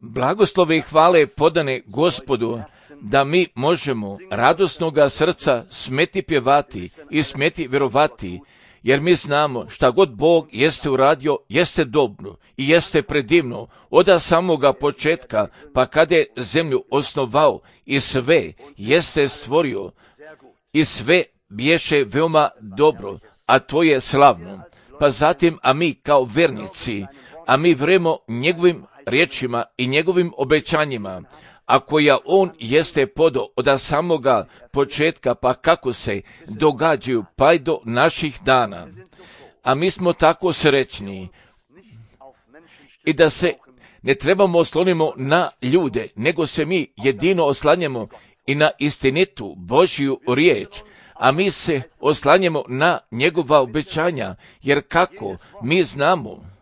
Blagoslove i hvale podane Gospodu, da mi možemo radosnoga srca smeti pjevati i smeti vjerovati, jer mi znamo šta god Bog jeste uradio, jeste dobro i jeste predivno od samoga početka, pa kada je zemlju osnovao i sve jeste stvorio i sve biješe veoma dobro, a to je slavno. Pa zatim, a mi kao vernici, a mi vremo njegovim riječima i njegovim obećanjima, a koja on jeste podao od samoga početka, pa kako se događaju pa i do naših dana. A mi smo tako srećni i da se ne trebamo oslonimo na ljude, nego se mi jedino oslanjamo i na istinitu Božju riječ, a mi se oslanjamo na njegova obećanja, jer kako mi znamo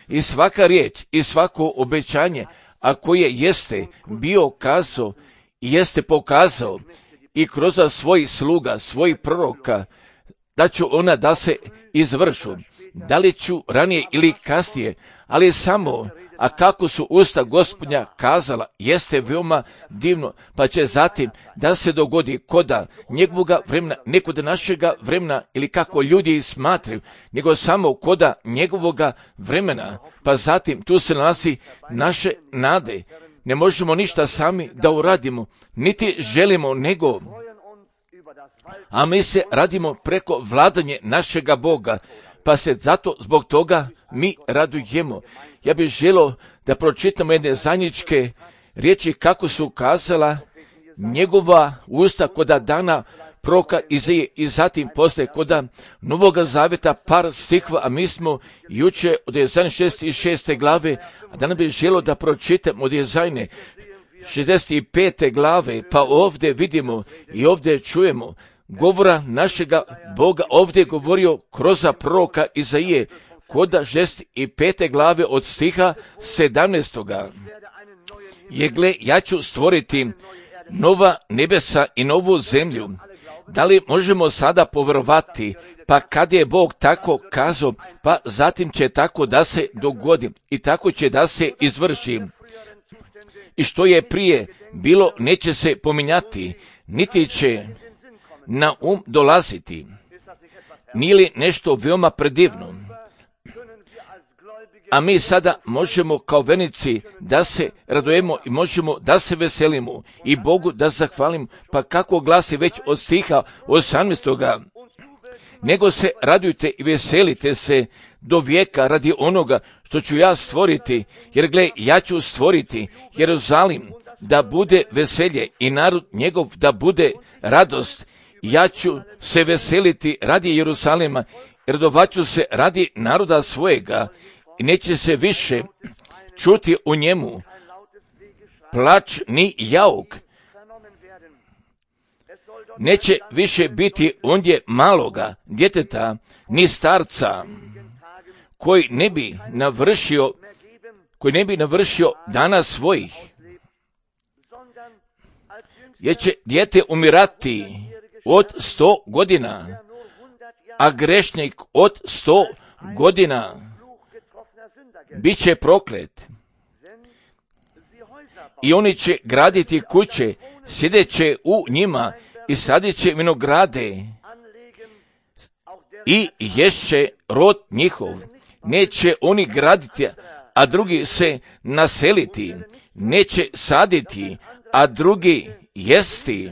i svaka riječ i svako obećanje, a koje jeste bio kazao i jeste pokazao i kroz svojih sluga, svojih proroka, da ću ona da se izvršu, da li ću ranije ili kasnije, ali samo, a kako su usta Gospodnja kazala, jeste veoma divno, pa će zatim da se dogodi koda njegovoga vremena, ne koda našega vremena ili kako ljudi smatraju, nego samo koda njegovoga vremena, pa zatim tu se nalazi naše nade. Ne možemo ništa sami da uradimo, niti želimo nego, a mi se radimo preko vladanje našega Boga, pa se zato zbog toga mi radujemo. Ja bih želio da pročitamo jedne zajedničke riječi kako su kazala njegova usta koda dana proroka Izaije i zatim posle koda Novoga Zaveta par stihova, a mi smo juče od Jezajne 66. glave, a danas bih želio da pročitam od Jezajne 65. glave, pa ovdje vidimo i ovdje čujemo govora našega Boga, ovdje je govorio kroz proroka Izaije, koda 65. glave od stiha 17. Je gle, ja ću stvoriti nova nebesa i novu zemlju. Da li možemo sada povjerovati, pa kad je Bog tako kazao, pa zatim će tako da se dogodi i tako će da se izvrši. I što je prije bilo neće se pominjati, niti će na dolaziti. Nije li nešto veoma predivno? A mi sada možemo kao vernici da se radujemo i možemo da se veselimo i Bogu da zahvalimo, pa kako glasi već od stiha 18. Nego se radujte i veselite se do vijeka radi onoga što ću ja stvoriti, jer gle, ja ću stvoriti Jeruzalim da bude veselje i narod njegov da bude radost. Ja ću se veseliti radi Jeruzalema, radovaću se radi naroda svojega i neće se više čuti u njemu plač ni jauk. Neće više biti ondje maloga djeteta ni starca koji ne bi navršio dana svojih. Jer će dijete umirati od 100 godina, a grešnik od 100 godina bit će proklet. I oni će graditi kuće, sjedeće u njima i sadit će vinograde i ješće rod njihov. Neće oni graditi, a drugi se naseliti. Neće saditi, a drugi jesti.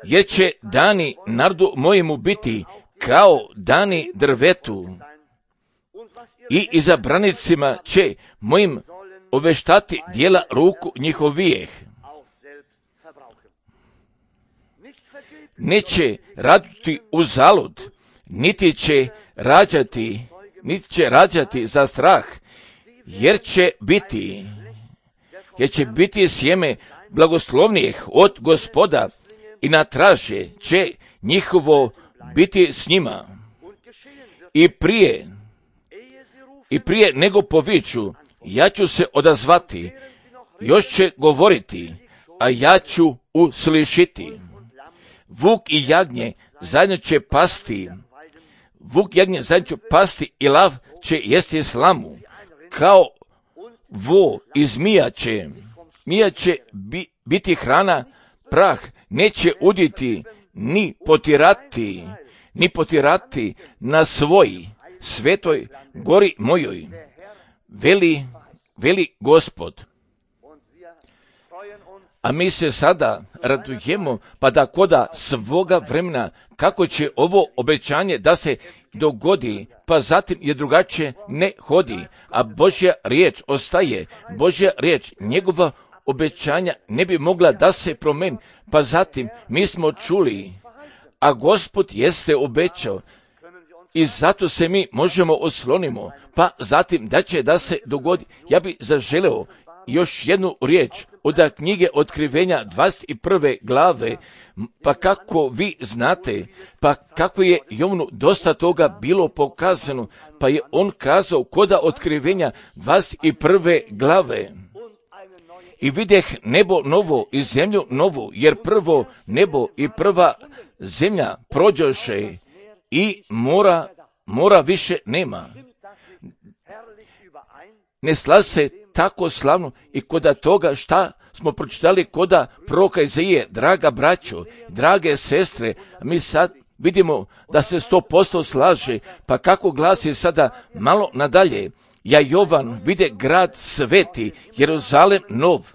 Jer će dani narodu mojemu biti kao dani drvetu i izabranicima će mojim oveštati dijela ruku njihovijeh. Neće raditi uzalud, niti će rađati za strah, jer će biti sjeme blagoslovnijih od Gospoda i na traže će njihovo biti s njima. I prije nego poviču, ja ću se odazvati, još će govoriti, a ja ću uslišiti. Vuk i jagnje zajedno će pasti, vuk jagnje zajedno će pasti i lav će jesti slamu, kao vo i zmija će biti hrana, prah neće uditi, ni potirati na svoj svetoj gori mojoj, veli Gospod. A mi se sada radujemo, pa da koda svoga vremena, kako će ovo obećanje da se dogodi, pa zatim je drugačije ne hodi, a Božja riječ ostaje, Božja riječ, njegova obećanja ne bi mogla da se promeni, pa zatim mi smo čuli, a Gospod jeste obećao, i zato se mi možemo oslonimo, pa zatim da će da se dogodi. Ja bi zaželeo još jednu riječ od knjige Otkrivenja 21. glave, pa kako vi znate, pa kako je Jovanu dosta toga bilo pokazano, pa je on kazao koda Otkrivenja 21. glave. I videh nebo novo i zemlju novu, jer prvo nebo i prva zemlja prođoše i mora više nema. Ne slaže se tako slavno i koda toga šta smo pročitali koda proroka Izaije, draga braćo, drage sestre, mi sad vidimo da se 100% slaže, pa kako glasi sada malo nadalje, ja Jovan vide grad sveti, Jeruzalem nov,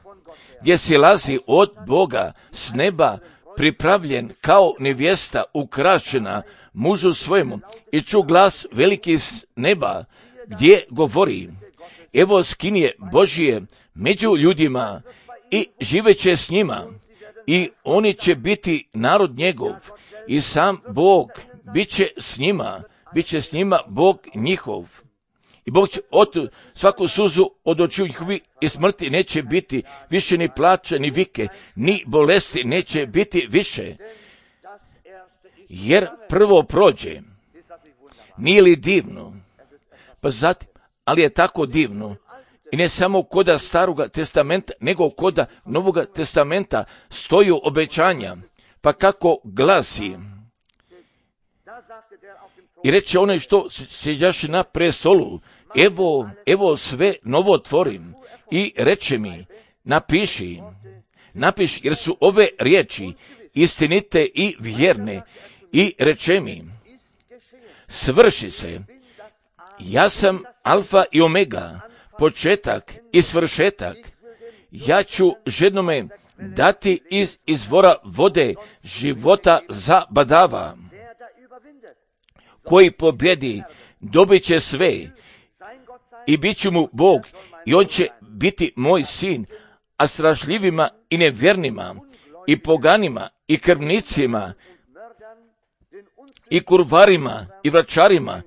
gdje silazi od Boga s neba, pripravljen kao nevjesta ukrašena mužu svojemu, i ču glas veliki s neba, gdje govori, evo skinje Božije među ljudima i živeće s njima, i oni će biti narod njegov, i sam Bog bit će s njima Bog njihov. I Bog će svaku suzu od očiju njihovi i smrti neće biti više, ni plače, ni vike, ni bolesti neće biti više. Jer prvo prođe. Nije li divno? Pa zatim, ali je tako divno. I ne samo koda Staroga testamenta, nego koda Novoga testamenta stoju obećanja. Pa kako glasi? I reče onaj što sjeđaše na prestolu, evo sve novo tvorim. I reče mi, napiši, jer su ove riječi istinite i vjerne. I reče mi, svrši se, ja sam alfa i omega, početak i svršetak. Ja ću žednome dati iz izvora vode života za badava. Koji pobjedi, dobit će sve, i bit ću mu Bog, i on će biti moj sin, a strašljivima i nevjernima, i poganima, i krvnicima, i kurvarima, i vračarima,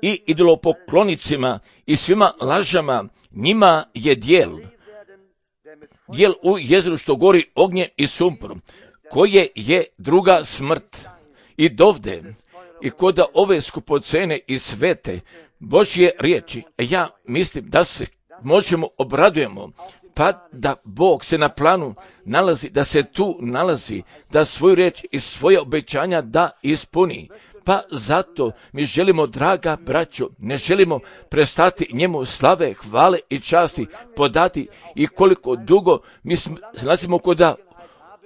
i idolopoklonicima, i svima lažama, njima je dijel u jezeru što gori ognje i sumporom, koje je druga smrt. I dovde, i koda ove skupocene i svete Božje riječi, ja mislim da se možemo obradujemo, pa da Bog se na planu nalazi, da se tu nalazi, da svoju riječ i svoje obećanja da ispuni. Pa zato mi želimo, draga braćo, ne želimo prestati njemu slave, hvale i časti podati, i koliko dugo mi se nalazimo koda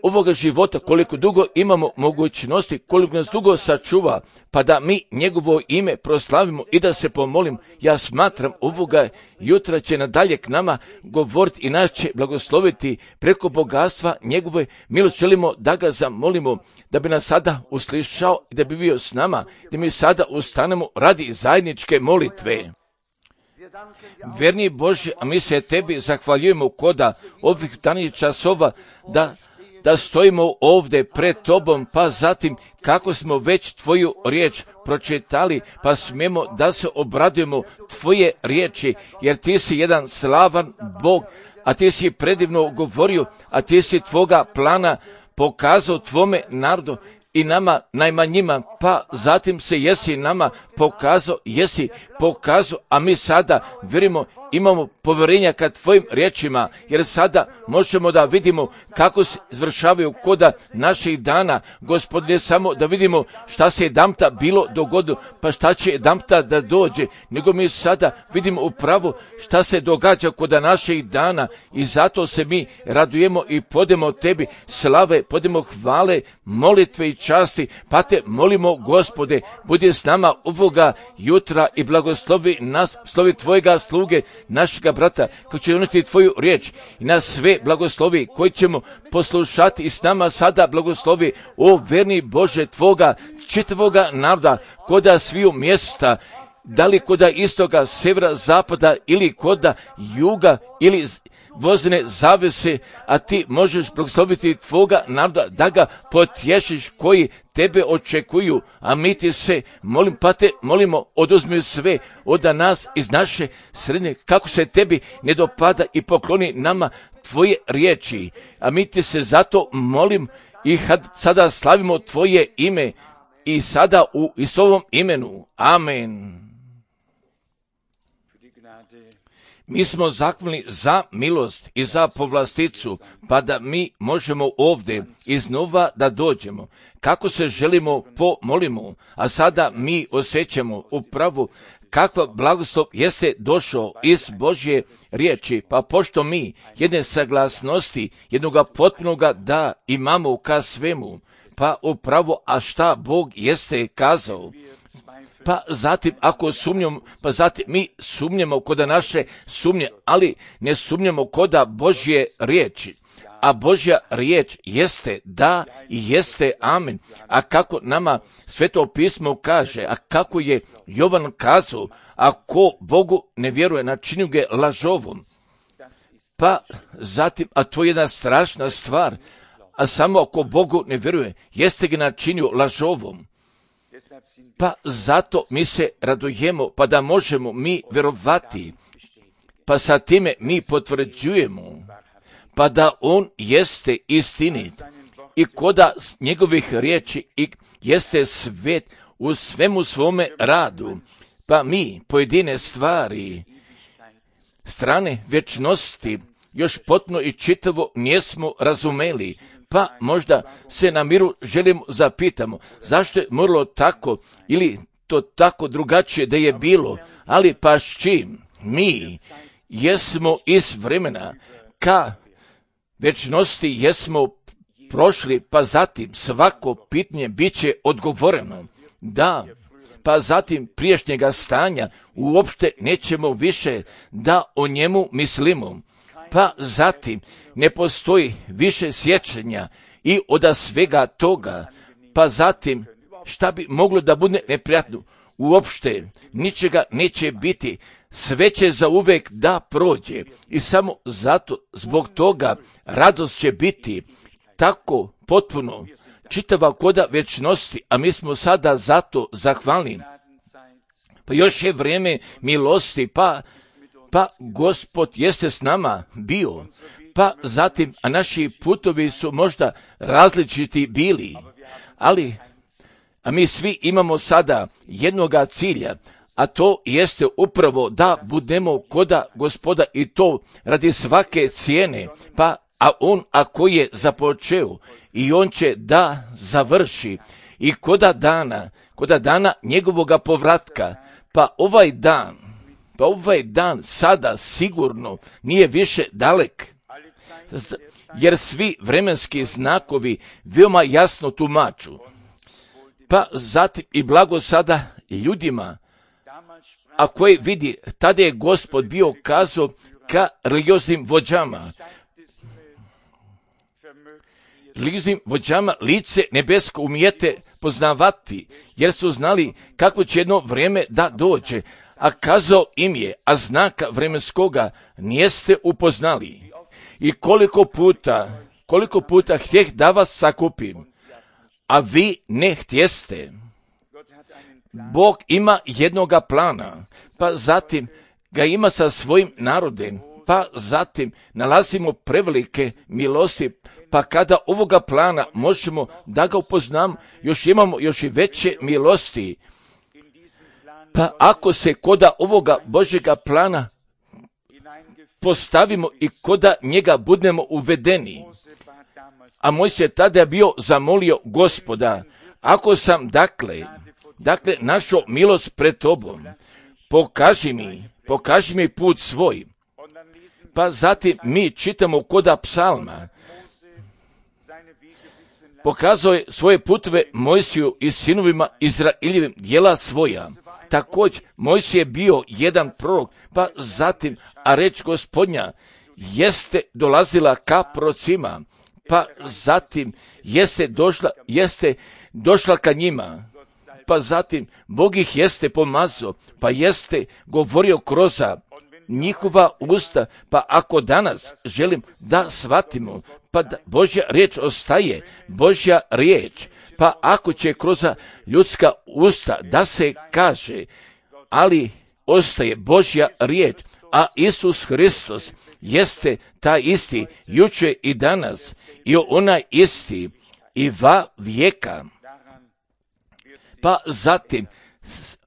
ovoga života, koliko dugo imamo mogućnosti, koliko nas dugo sačuva, pa da mi njegovo ime proslavimo i da se pomolim. Ja smatram ovoga jutra će nadalje k nama govoriti i nas će blagosloviti preko bogatstva njegove milosti. Želimo da ga zamolimo da bi nas sada uslišao i da bi bio s nama, da mi sada ustanemo radi zajedničke molitve. Verni Bože, a mi se tebi zahvaljujemo koda ovih danih časova da stojimo ovdje pred tobom, pa zatim kako smo već tvoju riječ pročitali, pa smijemo da se obradujemo tvoje riječi, jer ti si jedan slavan Bog, a ti si predivno govorio, a ti si tvoga plana pokazao tvome narodu i nama najmanjima, pa zatim se jesi nama pokazao, jesi pokazao, a mi sada vjerujemo, imamo povjerenja ka tvojim riječima, jer sada možemo da vidimo kako se izvršavaju koda naših dana, Gospodine, samo da vidimo šta se jedanputa bilo dogodilo, pa šta će jedanputa da dođe, nego mi sada vidimo upravo šta se događa koda naših dana i zato se mi radujemo i podemo tebi slave, podemo hvale, molitve i časti, pa te molimo, Gospode, budi s nama ovoga jutra i blagoslovi nas, slovi tvojega sluge, našega brata, koji će doneti tvoju riječ i nas sve blagoslovi, koji ćemo poslušati i s nama sada blagoslovi, o verni Bože, tvoga čitavoga naroda, koda sviju mjesta, da li koda istoga, severa, zapada ili koda juga ili vozne zavese, a ti možeš blagosloviti tvoga naroda da ga potješiš koji tebe očekuju, a mi ti se molim, pa te molimo, oduzmi sve od nas iz naše sredine, kako se tebi ne dopada i pokloni nama tvoje riječi, a mi ti se zato molim i sada slavimo tvoje ime i sada u Isusovom imenu. Amen. Mi smo zahvalni za milost i za povlasticu, pa da mi možemo ovdje iznova da dođemo. Kako se želimo pomolimo, a sada mi osjećamo upravo kakva blagoslov jeste došao iz Božje riječi, pa pošto mi jedne saglasnosti, jednoga potpunoga da imamo ka svemu, pa upravo, a šta Bog jeste kazao, pa zatim ako sumnjamo, pa zatim mi sumnjamo koda naše sumnje, ali ne sumnjamo koda Božje riječi. A Božja riječ jeste da i jeste amen. A kako nama Sveto pismo kaže, a kako je Jovan kazao, ako Bogu ne vjeruje, načinju ga lažovom. Pa zatim, a to je jedna strašna stvar, a samo ako Bogu ne vjeruje, jeste ga načinju lažovom. Pa zato mi se radujemo, pa da možemo mi vjerovati, pa sa time mi potvrđujemo, pa da on jeste istinit i koda njegovih riječi i jeste svet u svemu svome radu, pa mi pojedine stvari, strane vječnosti, još potpuno i čitavo nismo razumeli, pa možda se na miru želimo zapitamo zašto je moralo tako ili to tako drugačije da je bilo, ali pa s čim mi jesmo iz vremena ka večnosti jesmo prošli, pa zatim svako pitanje bit će odgovoreno. Da, pa zatim prijašnjega stanja uopšte nećemo više da o njemu mislimo. Pa zatim ne postoji više sjećanja i od svega toga, pa zatim šta bi moglo da bude neprijatno? Uopšte ničega neće biti, sve će zauvek da prođe i samo zato zbog toga radost će biti tako potpuno čitava koda večnosti, a mi smo sada zato zahvalni. Pa još je vrijeme milosti, pa Gospod jeste s nama bio, pa zatim, a naši putovi su možda različiti bili, a mi svi imamo sada jednoga cilja, a to jeste upravo da budemo koda Gospoda i to radi svake cijene, a on ako je započeo i on će da završi i koda dana njegovoga povratka, pa ovaj dan sada sigurno nije više dalek, jer svi vremenski znakovi veoma jasno tumaču. Pa zatim i blago sada ljudima, a koji vidi, tada je Gospod bio kazao ka religioznim vođama, lice nebesko umijete poznavati, jer su znali kako će jedno vrijeme da dođe, a kazao im je, a znaka vremenskoga nijeste upoznali. I koliko puta htjeh da vas sakupim, a vi ne htjeste. Bog ima jednoga plana, pa zatim ga ima sa svojim narodem, pa zatim nalazimo prevelike milosti, pa kada ovoga plana možemo da ga upoznamo, još imamo još i veće milosti. Pa ako se koda ovoga Božjega plana postavimo i koda njega budemo uvedeni, a Mojsije tada je bio zamolio Gospoda, ako sam dakle našao milost pred tobom, pokaži mi put svoj. Pa zatim mi čitamo koda psalma, pokazao je svoje putove Mojsiju i sinovima Izraeljevim djela svoja. Također, Mojsije je bio jedan prorok, pa zatim, a reč Gospodnja jeste dolazila ka prorocima, pa zatim jeste došla ka njima, pa zatim Bog ih jeste pomazao, pa jeste govorio kroz njihova usta. Pa ako danas želim da shvatimo, pa da Božja riječ ostaje Božja riječ, pa ako će kroz ljudska usta da se kaže, ali ostaje Božja riječ, a Isus Hristos jeste taj isti jučer i danas i onaj isti i va vijeka. Pa zatim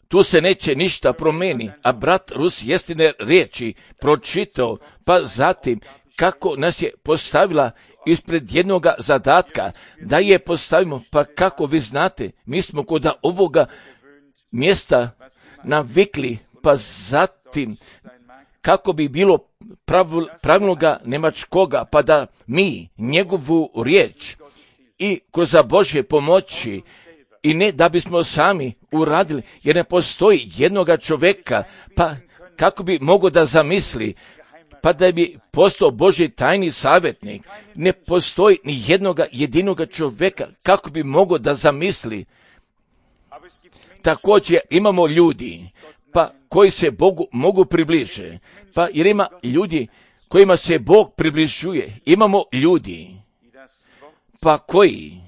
tu se neće ništa promeni, a brat Rus jestine riječi pročitao, pa zatim kako nas je postavila ispred jednoga zadatka, da je postavimo, pa kako vi znate, mi smo kod ovoga mjesta navikli, pa zatim kako bi bilo pravilnoga Njemačkoga, pa da mi njegovu riječ i kroz Božje pomoći, i ne da bismo sami uradili, jer ne postoji jednoga čovjeka, pa kako bi mogao da zamisli, pa da bi postao Božji tajni savjetnik. Ne postoji ni jednoga jedinoga čovjeka kako bi mogao da zamisli. Također imamo ljudi, pa koji se Bogu mogu približe, pa jer ima ljudi kojima se Bog približuje. Imamo ljudi, pa koji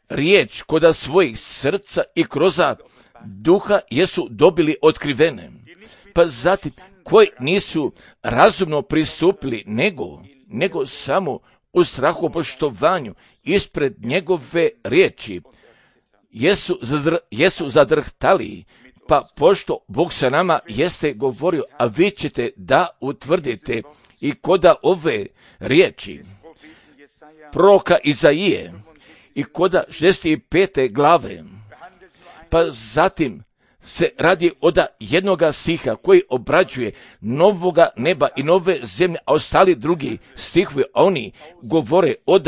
riječ koda svojih srca i kroz duha jesu dobili otkrivene, pa zatim koji nisu razumno pristupili, nego samo u strahu poštovanju ispred njegove riječi jesu zadrhtali, pa pošto Bog sa nama jeste govorio, a vi ćete da utvrdite i koda ove riječi proroka Izaije i koda 65. glave, pa zatim se radi od jednoga stiha koji obrađuje novoga neba i nove zemlje, a ostali drugi stihovi, oni govore od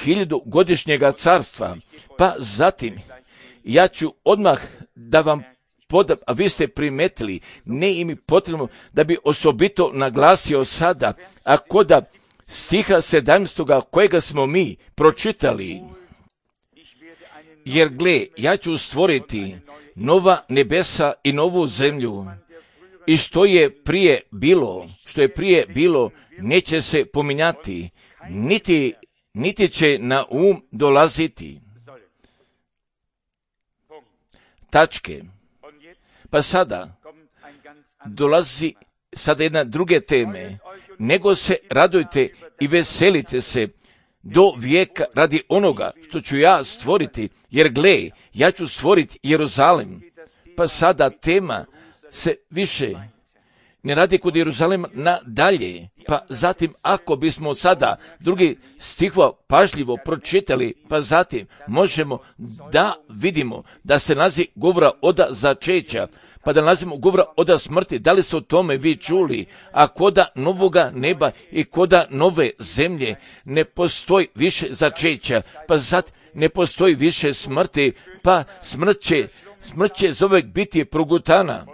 1000-godišnjega carstva. Pa zatim ja ću odmah da vam podam, a vi ste primetili, ne im potrebno da bi osobito naglasio sada, a koda stiha 17. kojega smo mi pročitali, jer gle, ja ću stvoriti nova nebesa i novu zemlju, i što je prije bilo, neće se pominjati, niti će na dolaziti. Tačke. Pa sada dolazi jedna druge teme, nego se radujte i veselite se do vijeka radi onoga što ću ja stvoriti, jer gle, ja ću stvoriti Jeruzalem. Pa sada tema se više ne radi kod Jeruzalema nadalje, pa zatim ako bismo sada drugi stihova pažljivo pročitali, pa zatim možemo da vidimo da se nalazi govora od začeća, pa da nalazimo govora od smrti. Da li ste o tome vi čuli? A koda novoga neba i koda nove zemlje ne postoji više začeća, pa zatim ne postoji više smrti, pa smrt će zovek biti progutana,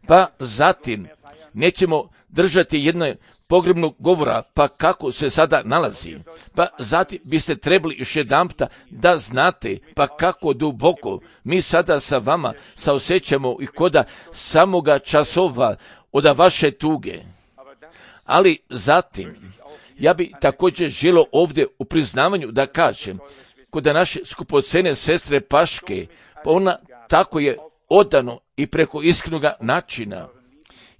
pa zatim nećemo držati jedno pogrebnog govora, pa kako se sada nalazi. Pa zatim biste trebali još jedanputa da znate, pa kako duboko mi sada sa vama saosjećamo i koda samoga časova od vaše tuge. Ali zatim, ja bi također želio ovdje u priznavanju da kažem, koda naše skupocene sestre Paške, pa ona tako je odano i preko iskrenoga načina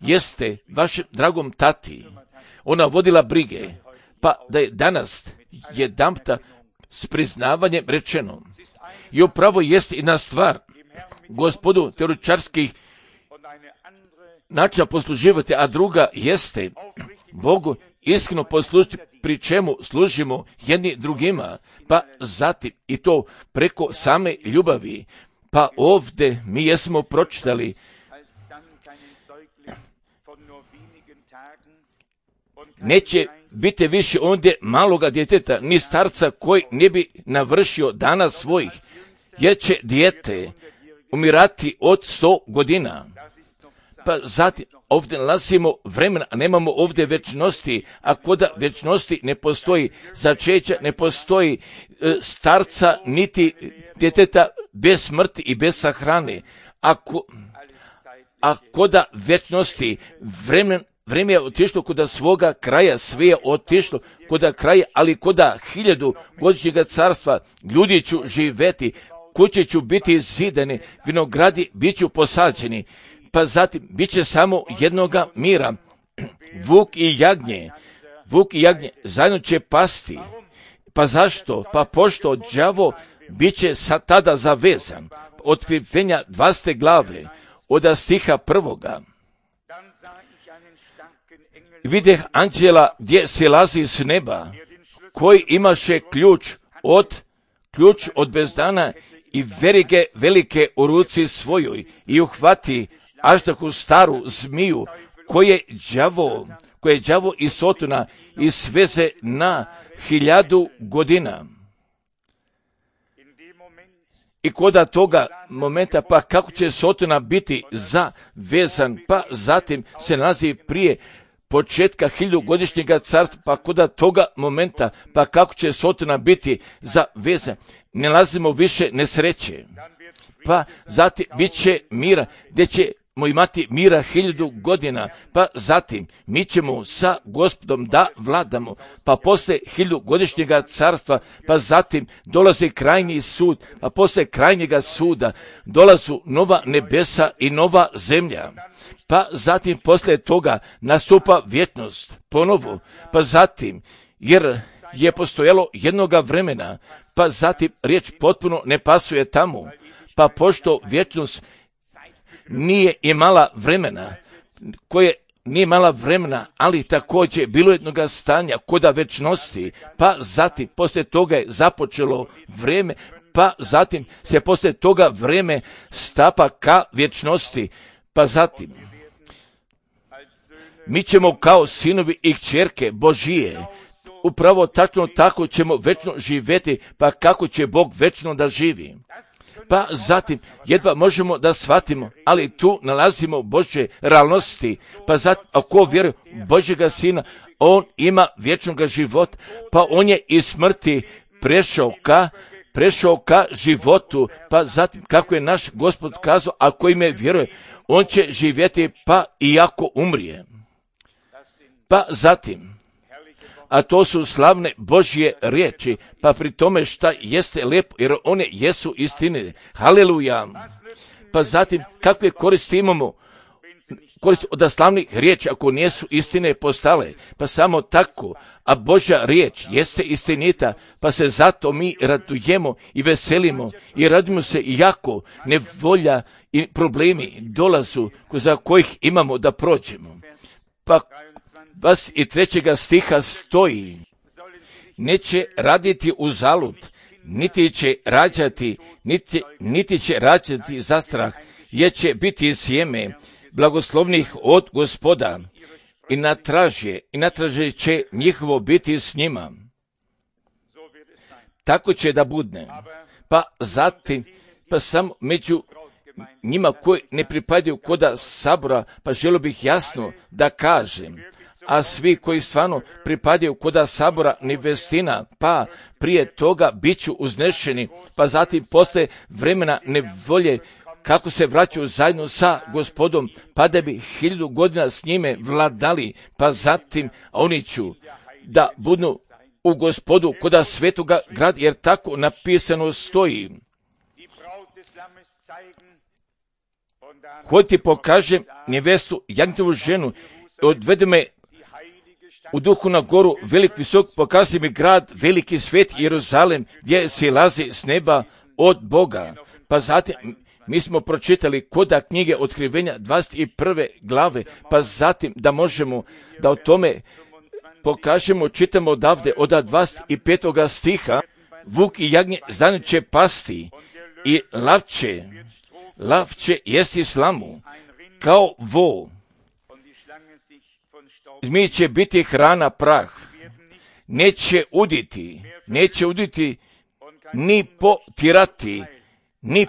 jeste vašem dragom tati, ona vodila brige, pa da je danas jedanputa s priznavanjem rečeno. I upravo jest jedna stvar, gospodu teoretičarskih načina posluživati, a druga jeste Bogu iskreno poslužiti, pri čemu služimo jedni drugima, pa zatim i to preko same ljubavi. Pa ovdje mi jesmo pročitali neće biti više ondje maloga djeteta, ni starca koji ne bi navršio dana svojih, jer će dijete umirati od 100 godina. Pa zatim ovdje nalazimo vremena, a nemamo ovdje večnosti, a koda večnosti ne postoji začeća, ne postoji starca niti djeteta bez smrti i bez sahrane. A koda večnosti vreme je otišlo koda svoga kraja, sve je otišlo koda kraja, ali koda 1000 godišnjega carstva ljudi ću živjeti, kuće ću biti zidane, vinogradi bit ću posađeni, pa zatim bit će samo jednoga mira. Vuk i jagnje zajedno će pasti. Pa zašto? Pa pošto đavo bit će tada zavezan. Otkrivenja 20. glave od stiha 1. Videh anđela gdje silazi s neba, koji imaše ključ od bezdana i verige velike u ruci svojoj i uhvati aždahu staru zmiju, koje đavo i Sotona i sveze na 1000 godina. I koda toga momenta, pa kako će Sotona biti zavezan, pa zatim se nalazi prije početka 1000-godišnjega carstva, pa koda toga momenta, pa kako će Sotona biti zavezan, ne nalazimo više nesreće. Pa zatim bit će mira, gdje ćemo imati mira 1000 godina, pa zatim mi ćemo sa Gospodom da vladamo, pa posle 1000-godišnjega carstva, pa zatim dolazi krajnji sud, pa posle krajnjega suda dolazu nova nebesa i nova zemlja. Pa zatim posle toga nastupa vječnost ponovo, pa zatim, jer je postojalo jednoga vremena, pa zatim riječ potpuno ne pasuje tamo, pa pošto vječnost nije imala vremena, ali također bilo jednoga stanja koda večnosti, pa zatim poslije toga je započelo vrijeme, pa zatim se poslije toga vrijeme stapa ka vječnosti, pa zatim mi ćemo kao sinovi i kćerke Božije, upravo tačno tako ćemo večno živjeti, pa kako će Bog večno da živi. Pa zatim jedva možemo da shvatimo, ali tu nalazimo Božje realnosti, pa zatim ako vjeruje Božjega Sina, on ima vječnog života, pa on je iz smrti prešao ka životu, pa zatim kako je naš Gospod kazao, ako ime vjeruje, on će živjeti pa iako umrije. Pa zatim, a to su slavne Božje riječi, pa pri tome šta jeste lepo, jer one jesu istine. Haleluja. Pa zatim, kakve koristi imamo? Koristi od slavnih riječi, ako nijesu istine postale, pa samo tako, a Božja riječ jeste istinita, pa se zato mi radujemo i veselimo i radimo se iako nevolja i problemi dolazu za kojih imamo da prođemo. Pa 23. stiha stoji, neće raditi uzalud, niti će rađati za strah, jer će biti sjeme blagoslovnih od Gospoda i natraže će njihovo biti s njima. Tako će da budne. Pa zatim, pa samo među njima koji ne pripadaju koda sabora, pa želio bih jasno da kažem, a svi koji stvarno pripadaju koda sabora nevestina, pa prije toga bit ću uznešeni, pa zatim posle vremena nevolje, kako se vraćaju zajedno sa Gospodom, pa da bi 1000 godina s njime vladali, pa zatim oni ću da budu u Gospodu koda svetoga grada, jer tako napisano stoji. Hod ti pokažem nevestu, jagnjetovu ženu, odvede me u duhu na goru, velik visok, pokaži mi grad, veliki svet Jeruzalem, gdje silazi s neba od Boga. Pa zatim mi smo pročitali koda knjige Otkrivenja 21. glave, pa zatim da možemo da o tome pokažemo, čitamo odavde od 25. stiha, vuk i jagnje zajedno će pasti i lav će jesti slamu kao vo. Zmije će biti hrana prah, neće uditi ni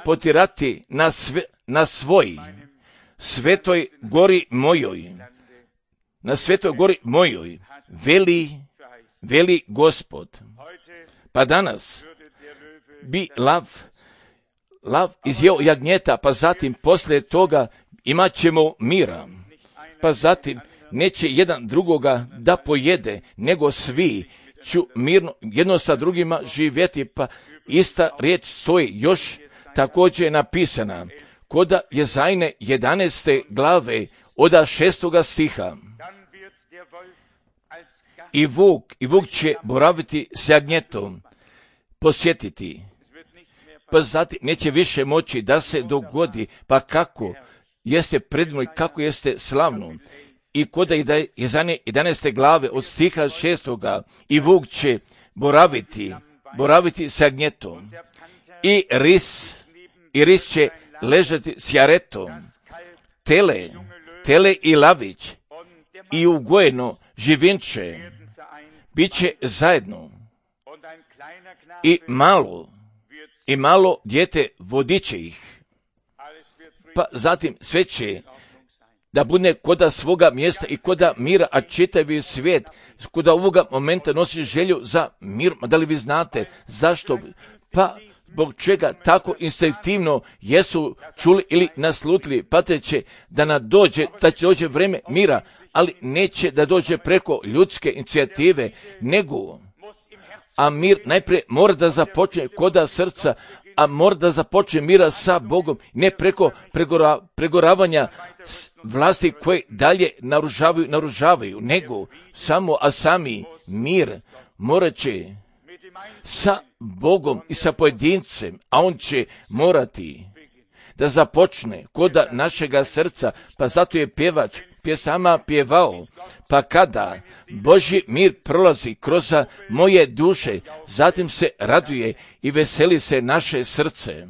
potirati na svoj svetoj gori mojoj. Na svetoj gori mojoj, veli Gospod. Pa danas bi lav izjeo jagnjeta, pa zatim poslije toga imat ćemo mira. Pa zatim neće jedan drugoga da pojede, nego svi ću mirno jedno sa drugima živjeti, pa ista riječ stoji još također je napisana koda Jezajne 11. glave od 6. stiha. I vuk će boraviti s jagnjetom, posjetiti, pa zatim neće više moći da se dogodi, pa kako jeste predmoj, kako jeste slavno. I koda Jezajne 11. glave od stiha 6. i vuk će boraviti s jagnjetom. I ris će ležati s jaretom, tele i lavić i ugojeno živinče bit će zajedno i malo dijete vodit će ih. Pa zatim sve će da bude koda svoga mjesta i koda mira, a čitavi svijet koda ovoga momenta nosi želju za mir. Da li vi znate zašto? Pa zbog čega tako instinktivno jesu čuli ili naslutili, pa će da će dođe vrijeme mira, ali neće da dođe preko ljudske inicijative, a mir najprije mora da započne koda srca, a mora da započne mira sa Bogom, ne preko pregoravanja vlasti koje dalje naružavaju, nego sami mir morat će sa Bogom i sa pojedincem, a on će morati da započne koda našega srca, pa zato je pjevač pjesama pjevao, pa kada Božji mir prolazi kroz moje duše, zatim se raduje i veseli se naše srce.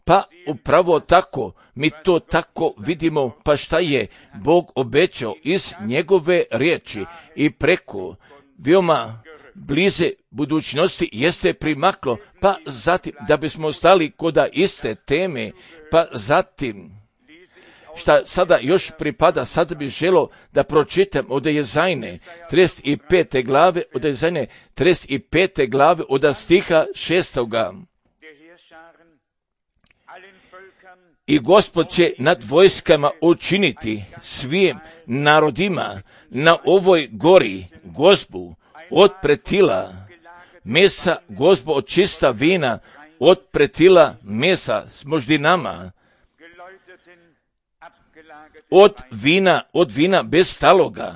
Pa upravo tako, mi to tako vidimo, pa šta je Bog obećao iz njegove riječi i preko veoma blize budućnosti jeste primaklo, pa zatim da bismo ostali koda iste teme, pa zatim šta sada još pripada, sada bih želio da pročitam od Jezajne 35. glave, od Jezajne 35. glave od stiha 6. I Gospod će nad vojskama učiniti svim narodima na ovoj gori gozbu od pretila mesa, gozbu od čista vina, od pretila mesa s moždinama, od vina bez staloga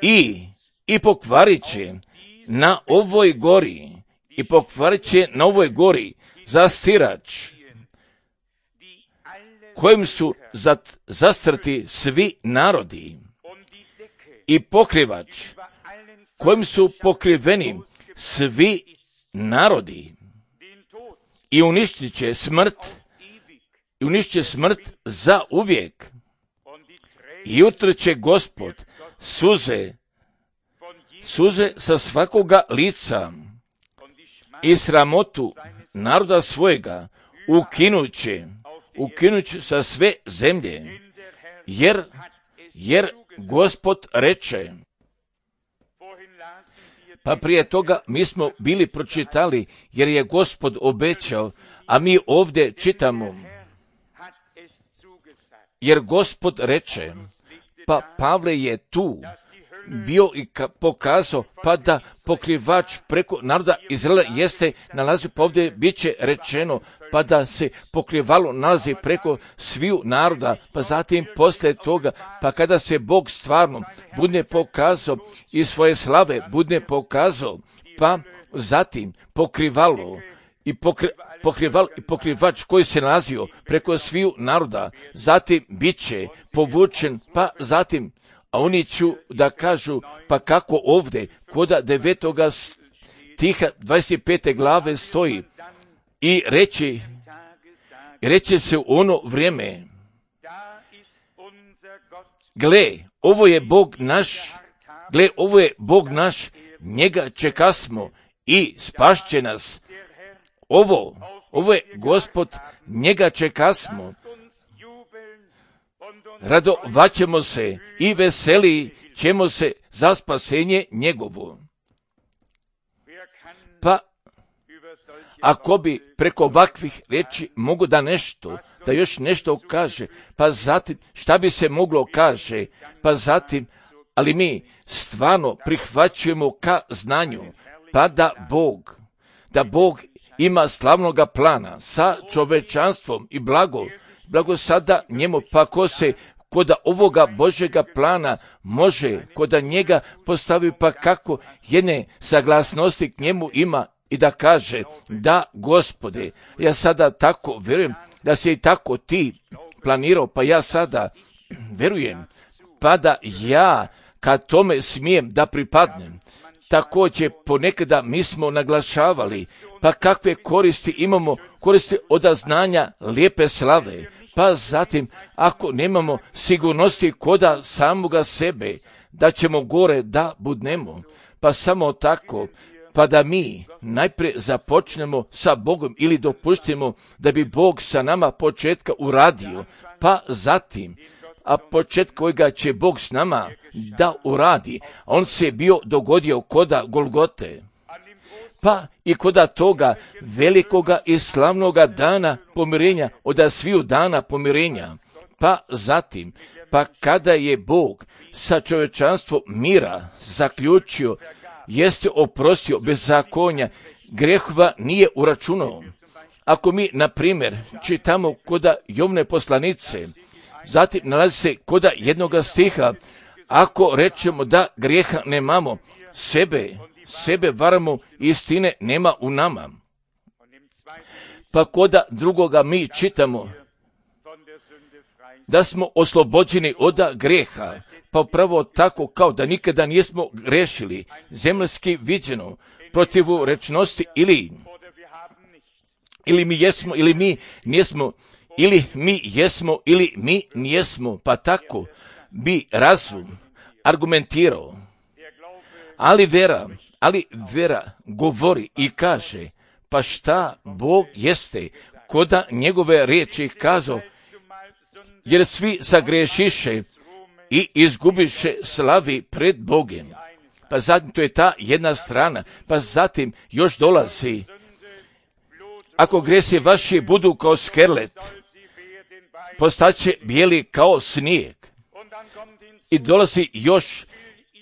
i pokvarit će na ovoj gori, zastirač kojim su zastrti svi narodi i pokrivač kojim su pokriveni svi narodi i uništit će smrt za uvijek i utrće Gospod suze sa svakoga lica i sramotu naroda svojega ukinuće sa sve zemlje, jer Gospod reče. Pa prije toga mi smo bili pročitali, jer je Gospod obećao, a mi ovdje čitamo, jer Gospod reče. Pa Pavle je tu bio i pokazao, pa da pokrivač preko naroda Izraela jeste nalazi, pa ovdje bit će rečeno, pa da se pokrivalo nalazi preko sviju naroda, pa zatim poslije toga, pa kada se Bog stvarno bude pokazao i svoje slave bude pokazao, pa zatim pokrivalo pokrivač koji se nalazio preko sviju naroda, zatim bit će povučen, pa zatim, a oni ću da kažu, pa kako ovdje, koda 9. stiha 25. glave stoji, i reći se u ono vrijeme, gle, ovo je Bog naš, njega čekasmo i spašće nas. Ovo je Gospod, njega čekasmo. Radovaćemo se i veseli ćemo se za spasenje njegovo. Pa, ako bi preko ovakvih riječi mogu da još nešto kaže, pa zatim šta bi se moglo kaže, pa zatim, ali mi stvarno prihvaćujemo ka znanju, pa da Bog ima slavnoga plana sa čovečanstvom i blago sada njemu, pa ko se kod ovoga Božjega plana može kod njega postavi, pa kako jedne saglasnosti k njemu ima i da kaže, da Gospode, ja sada tako vjerujem da si i tako ti planirao, pa ja sada vjerujem, pa da ja kad tome smijem da pripadnem. Također ponekada mi smo naglašavali, pa kakve koristi imamo, koristi od znanja lijepe slave, pa zatim ako nemamo sigurnosti koda samoga sebe, da ćemo gore da budnemo, pa samo tako, pa da mi najprije započnemo sa Bogom ili dopustimo da bi Bog sa nama početka uradio, pa zatim, a početka kojega će Bog s nama da uradi, on se bio dogodio koda Golgote, pa i koda toga velikoga i slavnoga dana pomirenja, od sviju dana pomirenja, pa zatim, pa kada je Bog sa čovječanstvom mira zaključio, jeste oprostio bezakonja, grehova nije uračunao. Ako mi, na primjer, čitamo koda Jovne poslanice, zatim nalazi se koda jednoga stiha, ako rečemo da grijeha nemamo, sebe varamo, istine nema u nama. Pa koda drugoga mi čitamo da smo oslobođeni od grijeha, pa upravo tako kao da nikada nismo grešili, zemljski viđeno, protivrečnosti ili mi jesmo ili mi nismo, ili mi jesmo ili mi nijesmo, pa tako bi razum argumentirao. Ali vera govori i kaže, pa šta Bog jeste, koda njegove riječi kazao, jer svi sagrešiše i izgubiše slavi pred Bogem. Pa zatim to je ta jedna strana, pa zatim još dolazi, ako gresi vaši budu kao skerlet, postaće bijeli kao snijeg. I dolazi još,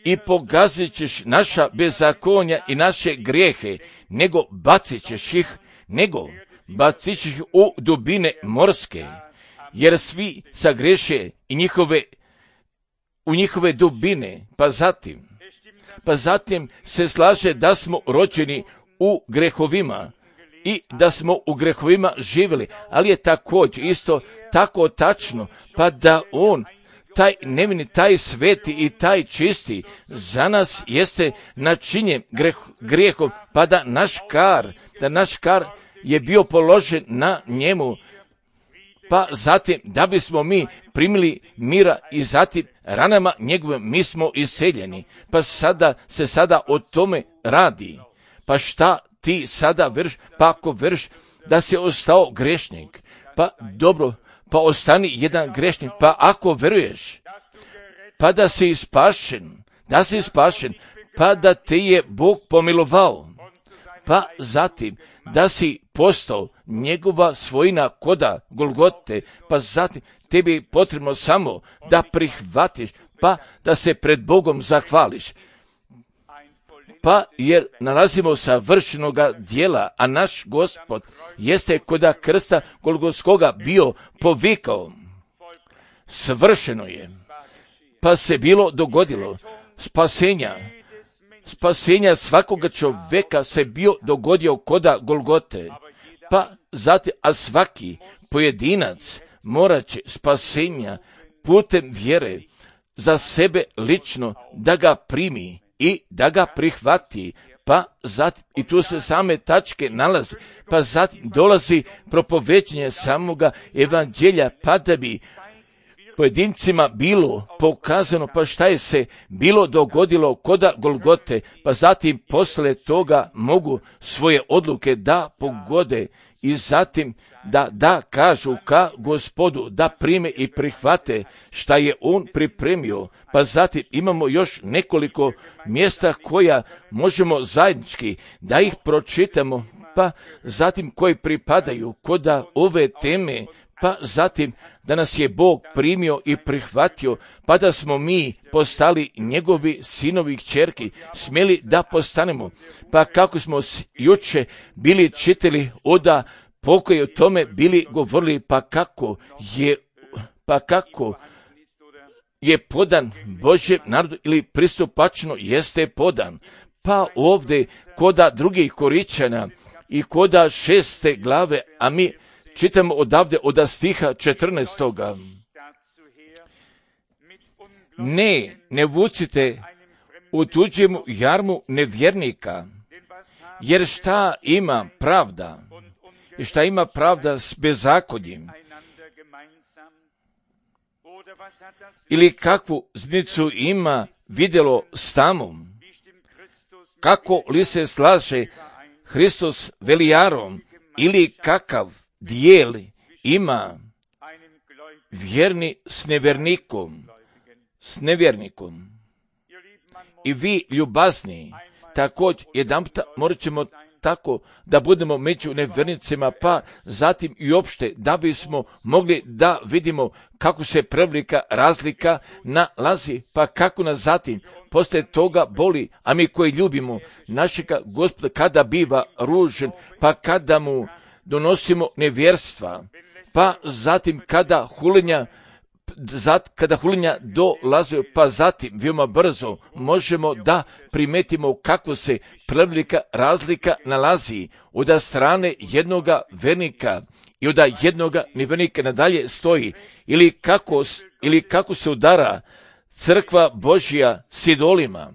i pogazit ćeš naša bezakonja i naše grijehe, nego bacit ćeš ih u dubine morske, jer svi sagreše i u njihove dubine, pa zatim se slaže da smo rođeni u grehovima i da smo u grehovima živjeli, ali je također isto tako tačno, pa da on, taj nevini, taj sveti i taj čisti, za nas jeste načinjen grijehom, pa da naš kar je bio položen na njemu, pa zatim da bismo mi primili mira i zatim ranama njegovim mi smo iseljeni, pa sada o tome radi. Pa šta ti sada vrš, pa ako vrš da si ostao grešnik, pa dobro, pa ostani jedan grešnik, pa ako veruješ, pa da si spašen, pa da te je Bog pomilovao, pa zatim da si postao njegova svojina koda Golgote, pa zatim tebi je potrebno samo da prihvatiš, pa da se pred Bogom zahvališ. Pa jer nalazimo savršenoga dijela, a naš Gospod jeste koda krsta Golgotskoga bio povikao, svršeno je, pa se bilo dogodilo, spasenja svakoga čovjeka se bio dogodio koda Golgote, pa zatim, a svaki pojedinac morat će spasenja putem vjere za sebe lično da ga primi i da ga prihvati, pa zatim, i tu se same tačke nalazi, pa zatim dolazi propoveđenje samoga evanđelja, pa da bi pojedincima bilo pokazano, pa šta je se bilo dogodilo koda Golgote, pa zatim posle toga mogu svoje odluke da pogode i zatim da kažu ka Gospodu, da prime i prihvate šta je on pripremio. Pa zatim imamo još nekoliko mjesta koja možemo zajednički da ih pročitamo, pa zatim koji pripadaju koda ove teme, pa zatim da nas je Bog primio i prihvatio, pa da smo mi postali njegovi sinovi i kćerki, smjeli da postanemo. Pa kako smo juče bili čitali oda pokoj o tome bili govorili, pa kako je podan Božjem narodu ili pristupačno jeste podan. Pa ovdje koda drugih Koričana i koda 6. glave, a mi čitamo odavde od stiha 14. Ne vucite u tuđemu jarmu nevjernika, jer šta ima pravda? I šta ima pravda s bezakonjem? Ili kakvu znicu ima vidjelo s tamom? Kako li se slaže Hristos velijarom? Ili kakav dijel ima vjerni s nevjernikom? I vi ljubazni, također jedanput morat ćemo tako da budemo među nevjernicima, pa zatim i opšte da bismo mogli da vidimo kako se prevelika razlika nalazi, pa kako nas zatim posle toga boli, a mi koji ljubimo našega Gospoda kada biva ružen, pa kada mu donosimo nevjerstva, pa zatim kada hulenja dolaze, pa zatim veoma brzo možemo da primetimo kako se prevelika razlika nalazi od strane jednoga vernika i od jednoga nevernika nadalje stoji, ili kako se udara crkva Božja s idolima.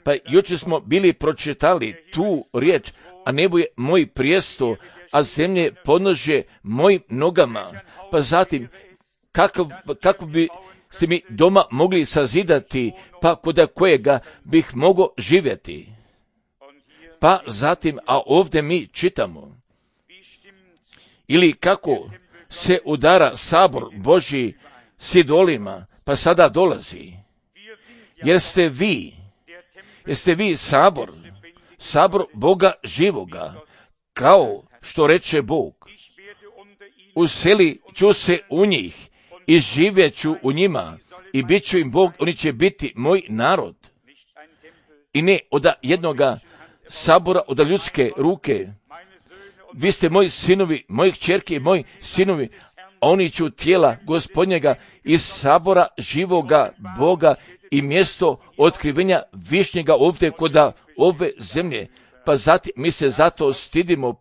Pa jučer smo bili pročitali tu riječ, a nebo je moj prijesto, a zemlje podnožje mojim nogama. Pa zatim kako bi se mi doma mogli sazidati, pa kod kojega bih mogao živjeti. Pa zatim, a ovdje mi čitamo, ili kako se udara sabor Božji s idolima, pa sada dolazi, jer ste vi sabor Boga živoga, kao što reče Bog, useli ću se u njih i živjet ću u njima i bit ću im Bog, oni će biti moj narod. I ne od jednoga sabora, od ljudske ruke. Vi ste moji sinovi, moji kćerke i moji sinovi, a oni ću tijela Gospodnjega iz sabora živoga Boga i mjesto otkrivenja višnjega ovdje kod ove zemlje. Pa zatim mi se zato stidimo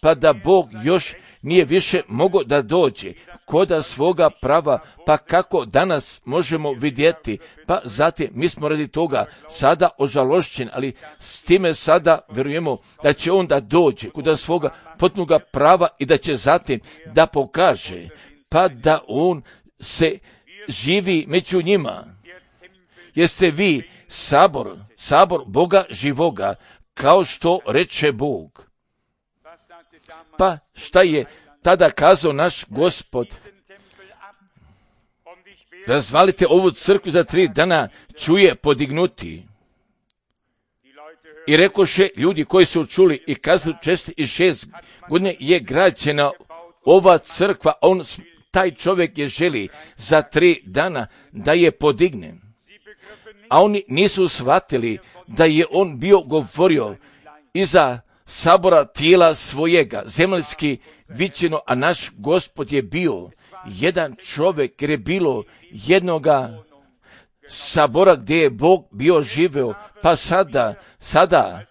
pa da Bog još nije više mogao da dođe koda svoga prava, pa kako danas možemo vidjeti, pa zatim mi smo radi toga sada ožalošćeni, ali s time sada vjerujemo da će on da dođe koda svoga potpunoga prava i da će zatim da pokaže, pa da on se živi među njima. Jeste vi sabor Boga živoga, kao što reče Bog. Pa šta je tada kazao naš Gospod? Razvalite ovu crkvu za 3 dana, ću je podignuti. I rekoše ljudi koji su čuli i kazali 6 godina je građena ova crkva, taj čovjek je želi za 3 dana da je podigne. A oni nisu shvatili da je on bio govorio iza sabora tijela svojega, zemaljski viđeno, a naš Gospod je bio jedan čovjek, jer je bilo jednoga sabora gdje je Bog bio živeo, pa sada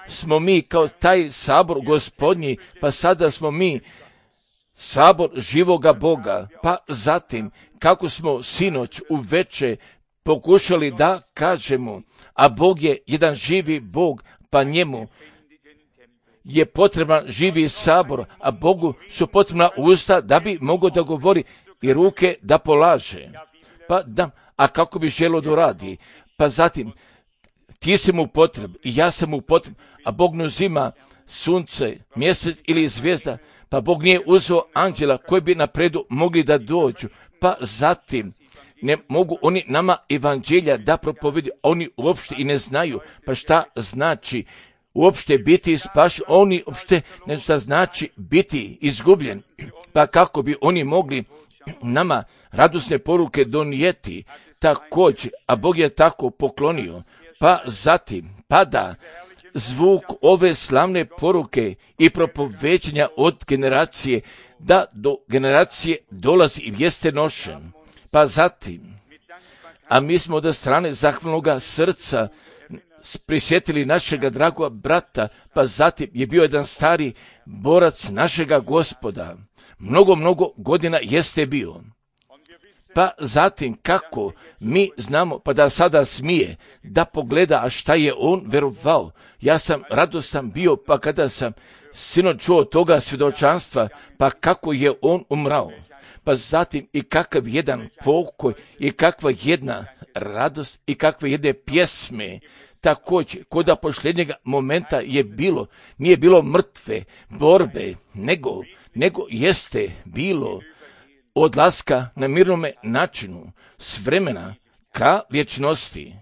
smo mi kao taj sabor gospodnji, pa sada smo mi sabor živoga Boga, pa zatim kako smo sinoć uveče pokušali da kažemo, a Bog je jedan živi Bog, pa njemu je potreban živi sabor, a Bogu su potrebna usta da bi mogao da govori i ruke da polaže. Pa da, a kako bi želio da radi? Pa zatim, ti si mu potreb i ja sam mu potreb, a Bog ne uzima sunce, mjesec ili zvijezda, pa Bog nije uzeo anđela koji bi napredu mogli da dođu, pa zatim ne mogu oni nama evanđelja da propovedu, oni uopšte i ne znaju, pa šta znači uopšte biti spašen, oni uopšte ne šta znači biti izgubljen, pa kako bi oni mogli nama radosne poruke donijeti također, a Bog je tako poklonio, pa zatim pada zvuk ove slavne poruke i propoveđenja od generacije da do generacije dolazi i jeste nošen. Pa zatim, a mi smo od strane zahvalnoga srca prisjetili našega dragoga brata, pa zatim je bio jedan stari borac našega Gospoda. Mnogo godina jeste bio. Pa zatim kako mi znamo, pa da sada smije da pogleda, a šta je on verovao. Ja sam radostan bio, pa kada sam sinoć čuo toga svjedočanstva, pa kako je on umrao. Pa zatim i kakav jedan pokoj i kakva jedna radost i kakve jedne pjesme. Također, koda posljednjega momenta je bilo, nije bilo mrtve borbe, nego jeste bilo odlaska na mirnome načinu, s vremena ka vječnosti.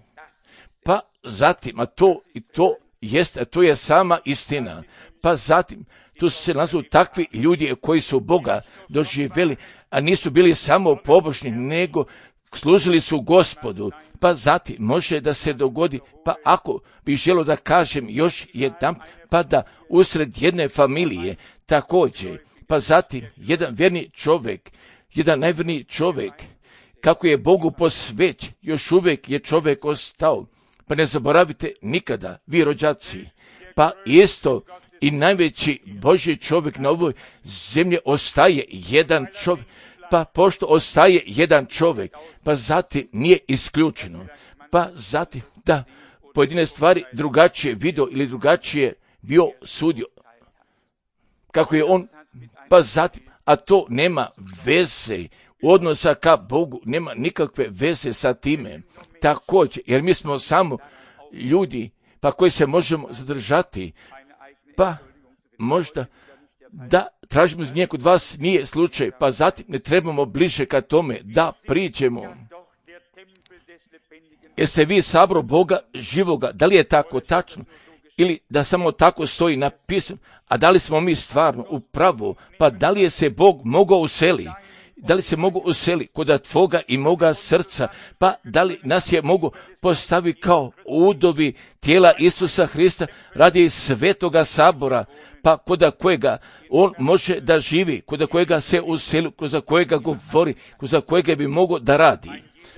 Pa zatim, a to je sama istina. Pa zatim, tu se nalazu takvi ljudi koji su Boga doživjeli, a nisu bili samo pobožni, nego služili su Gospodu. Pa zatim može da se dogodi, pa ako bi želio da kažem još jedan, pa da usred jedne familije također, pa zatim jedan verni čovjek, jedan najverniji čovjek, kako je Bogu posveć, još uvijek je čovjek ostao. Pa ne zaboravite nikada, vi rođaci, pa isto i najveći Božji čovjek na ovoj zemlji ostaje jedan čovjek. Pa pošto ostaje jedan čovjek, pa zatim nije isključeno. Pa zatim da pojedine stvari drugačije vidio ili drugačije bio sudio. Kako je on, pa zatim, a to nema veze odnosa ka Bogu, nema nikakve veze sa time. Također, jer mi smo samo ljudi, pa koji se možemo zadržati, pa možda da tražimo iz nje kod vas nije slučaj, pa zatim ne trebamo bliže ka tome da priđemo. Jeste vi sabor Boga živoga, da li je tako tačno ili da samo tako stoji napisano, a da li smo mi stvarno u pravu, pa da li je se Bog mogao useli? Da li se mogu useli kod tvoga i moga srca, pa da li nas je mogu postavi kao udovi tijela Isusa Hrista radi svetoga sabora, pa kod kojega on može da živi, kod kojega se useli, kroz kojega govori, kroz kojega bi mogao da radi.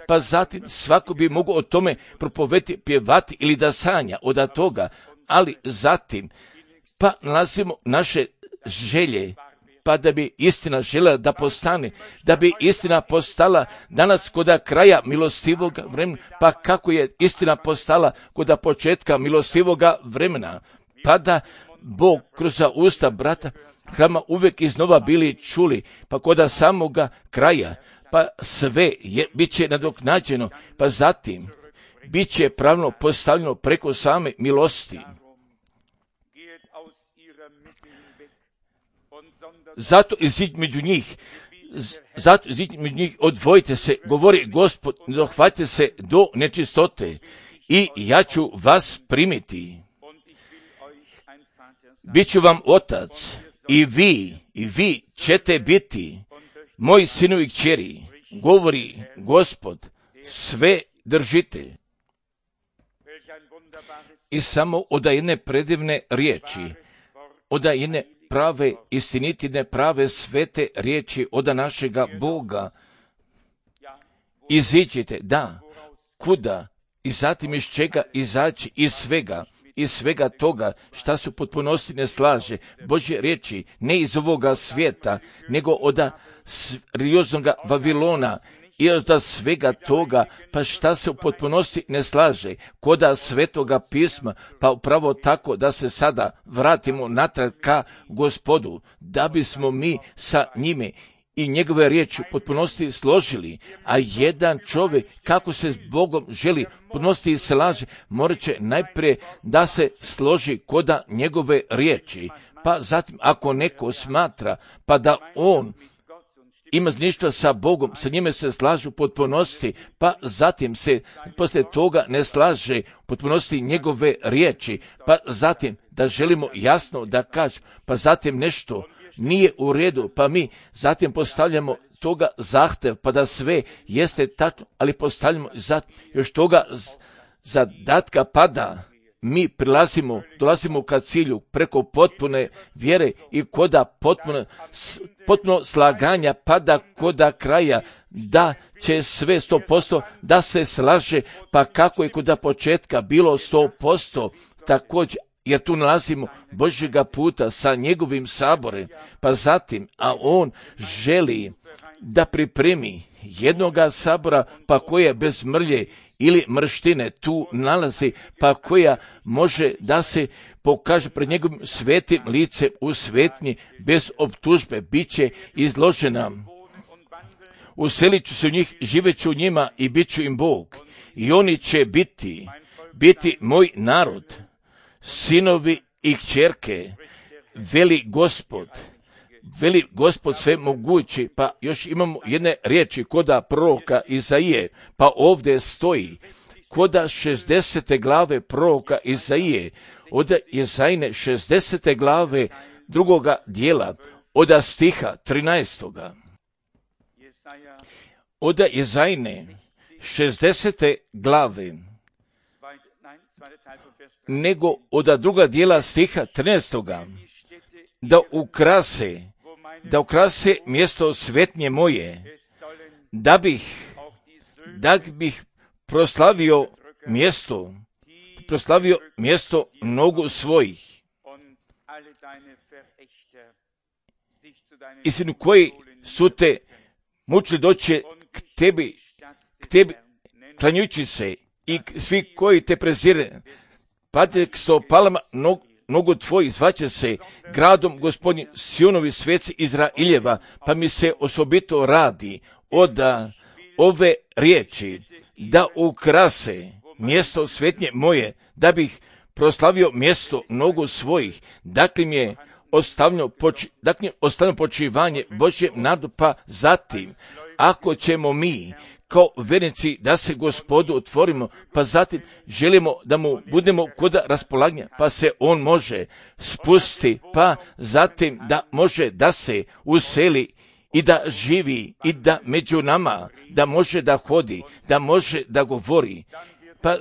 Pa zatim svako bi mogao o tome propoveti, pjevati ili da sanja od toga, ali zatim pa nalazimo naše želje, pa da bi istina željela da postane, da bi istina postala danas kod kraja milostivog vremena, pa kako je istina postala kod početka milostivog vremena, pa da Bog kroz usta brata hrama uvijek iznova bili čuli, pa kod samoga kraja, pa sve bit će nadoknađeno, pa zatim bit će pravno postavljeno preko same milosti. Zato iziđi među njih, odvojite se, govori Gospod, ne dohvatite se do nečistote i ja ću vas primiti. Biću vam otac i vi ćete biti moji sinovi i kćeri, govori Gospod, sve držite. I samo od jedne predivne riječi, od jedne prave, istinitine, prave, svete riječi od našega Boga. Iziđite, da, kuda, i zatim iz čega izaći, iz svega. iz svega toga šta se u potpunosti ne slaže. Božje riječi ne iz ovoga svijeta, nego od serioznog Vavilona i od svega toga, pa šta se u potpunosti ne slaže, koda Svetoga pisma, pa upravo tako da se sada vratimo natrag ka Gospodu, da bismo mi sa njime i njegove riječi u potpunosti složili, a jedan čovjek kako se s Bogom želi potpunosti i slaže, morat će najprije da se složi koda njegove riječi, pa zatim ako neko smatra pa da on ima ništa sa Bogom, sa njime se slažu u potpunosti, pa zatim se poslije toga ne slaže u potpunosti njegove riječi, pa zatim da želimo jasno da kažemo, pa zatim nešto nije u redu, pa mi zatim postavljamo toga zahtev, pa da sve jeste tačno, ali postavljamo još toga zadatka pada. Mi dolazimo ka cilju preko potpune vjere i koda potpuno slaganja pada koda kraja, da će sve 100% da se slaže, pa kako je koda početka bilo 100%, također, jer tu nalazimo Božjega puta sa njegovim saborem, pa zatim, a on želi da pripremi jednoga sabora, pa koje bez mrlje ili mrštine tu nalazi, pa koja može da se pokaže pred njegovim svetim licem u svetnji, bez optužbe, bit će izložena. Uselit ću se u njih, živet ću u njima i bit ću im Bog. I oni će biti moj narod, sinovi i kćerke, veli Gospod sve mogući. Pa još imamo jedne riječi koda proroka Izaije, pa ovdje stoji koda 60. glave proroka Izaije, od Izajine 60. glave drugoga dijela, od stiha 13. Od Izajine 60. glave, nego od druga dijela stiha 13. da ukrase mjesto svetnje moje, da bih proslavio mjesto nogu svojih. I svi koji su te mučili doći k tebi klanjujući se, i svi koji te prezire, pate k stopalama nogu tvojih, zvaće se gradom Gospodnjim, Sionovi sveci Izraeljeva, pa mi se osobito radi od ove riječi, da ukrase mjesto svetnje moje, da bih proslavio mjesto nogu svojih, dakle mi je ostavljeno počivanje Božjem narodu, pa zatim, ako ćemo mi kao vernici da se Gospodu otvorimo, pa zatim želimo da mu budemo kod raspolaganja, pa se on može spusti, pa zatim da može da se useli i da živi i da među nama, da može da hodi, da može da govori, pa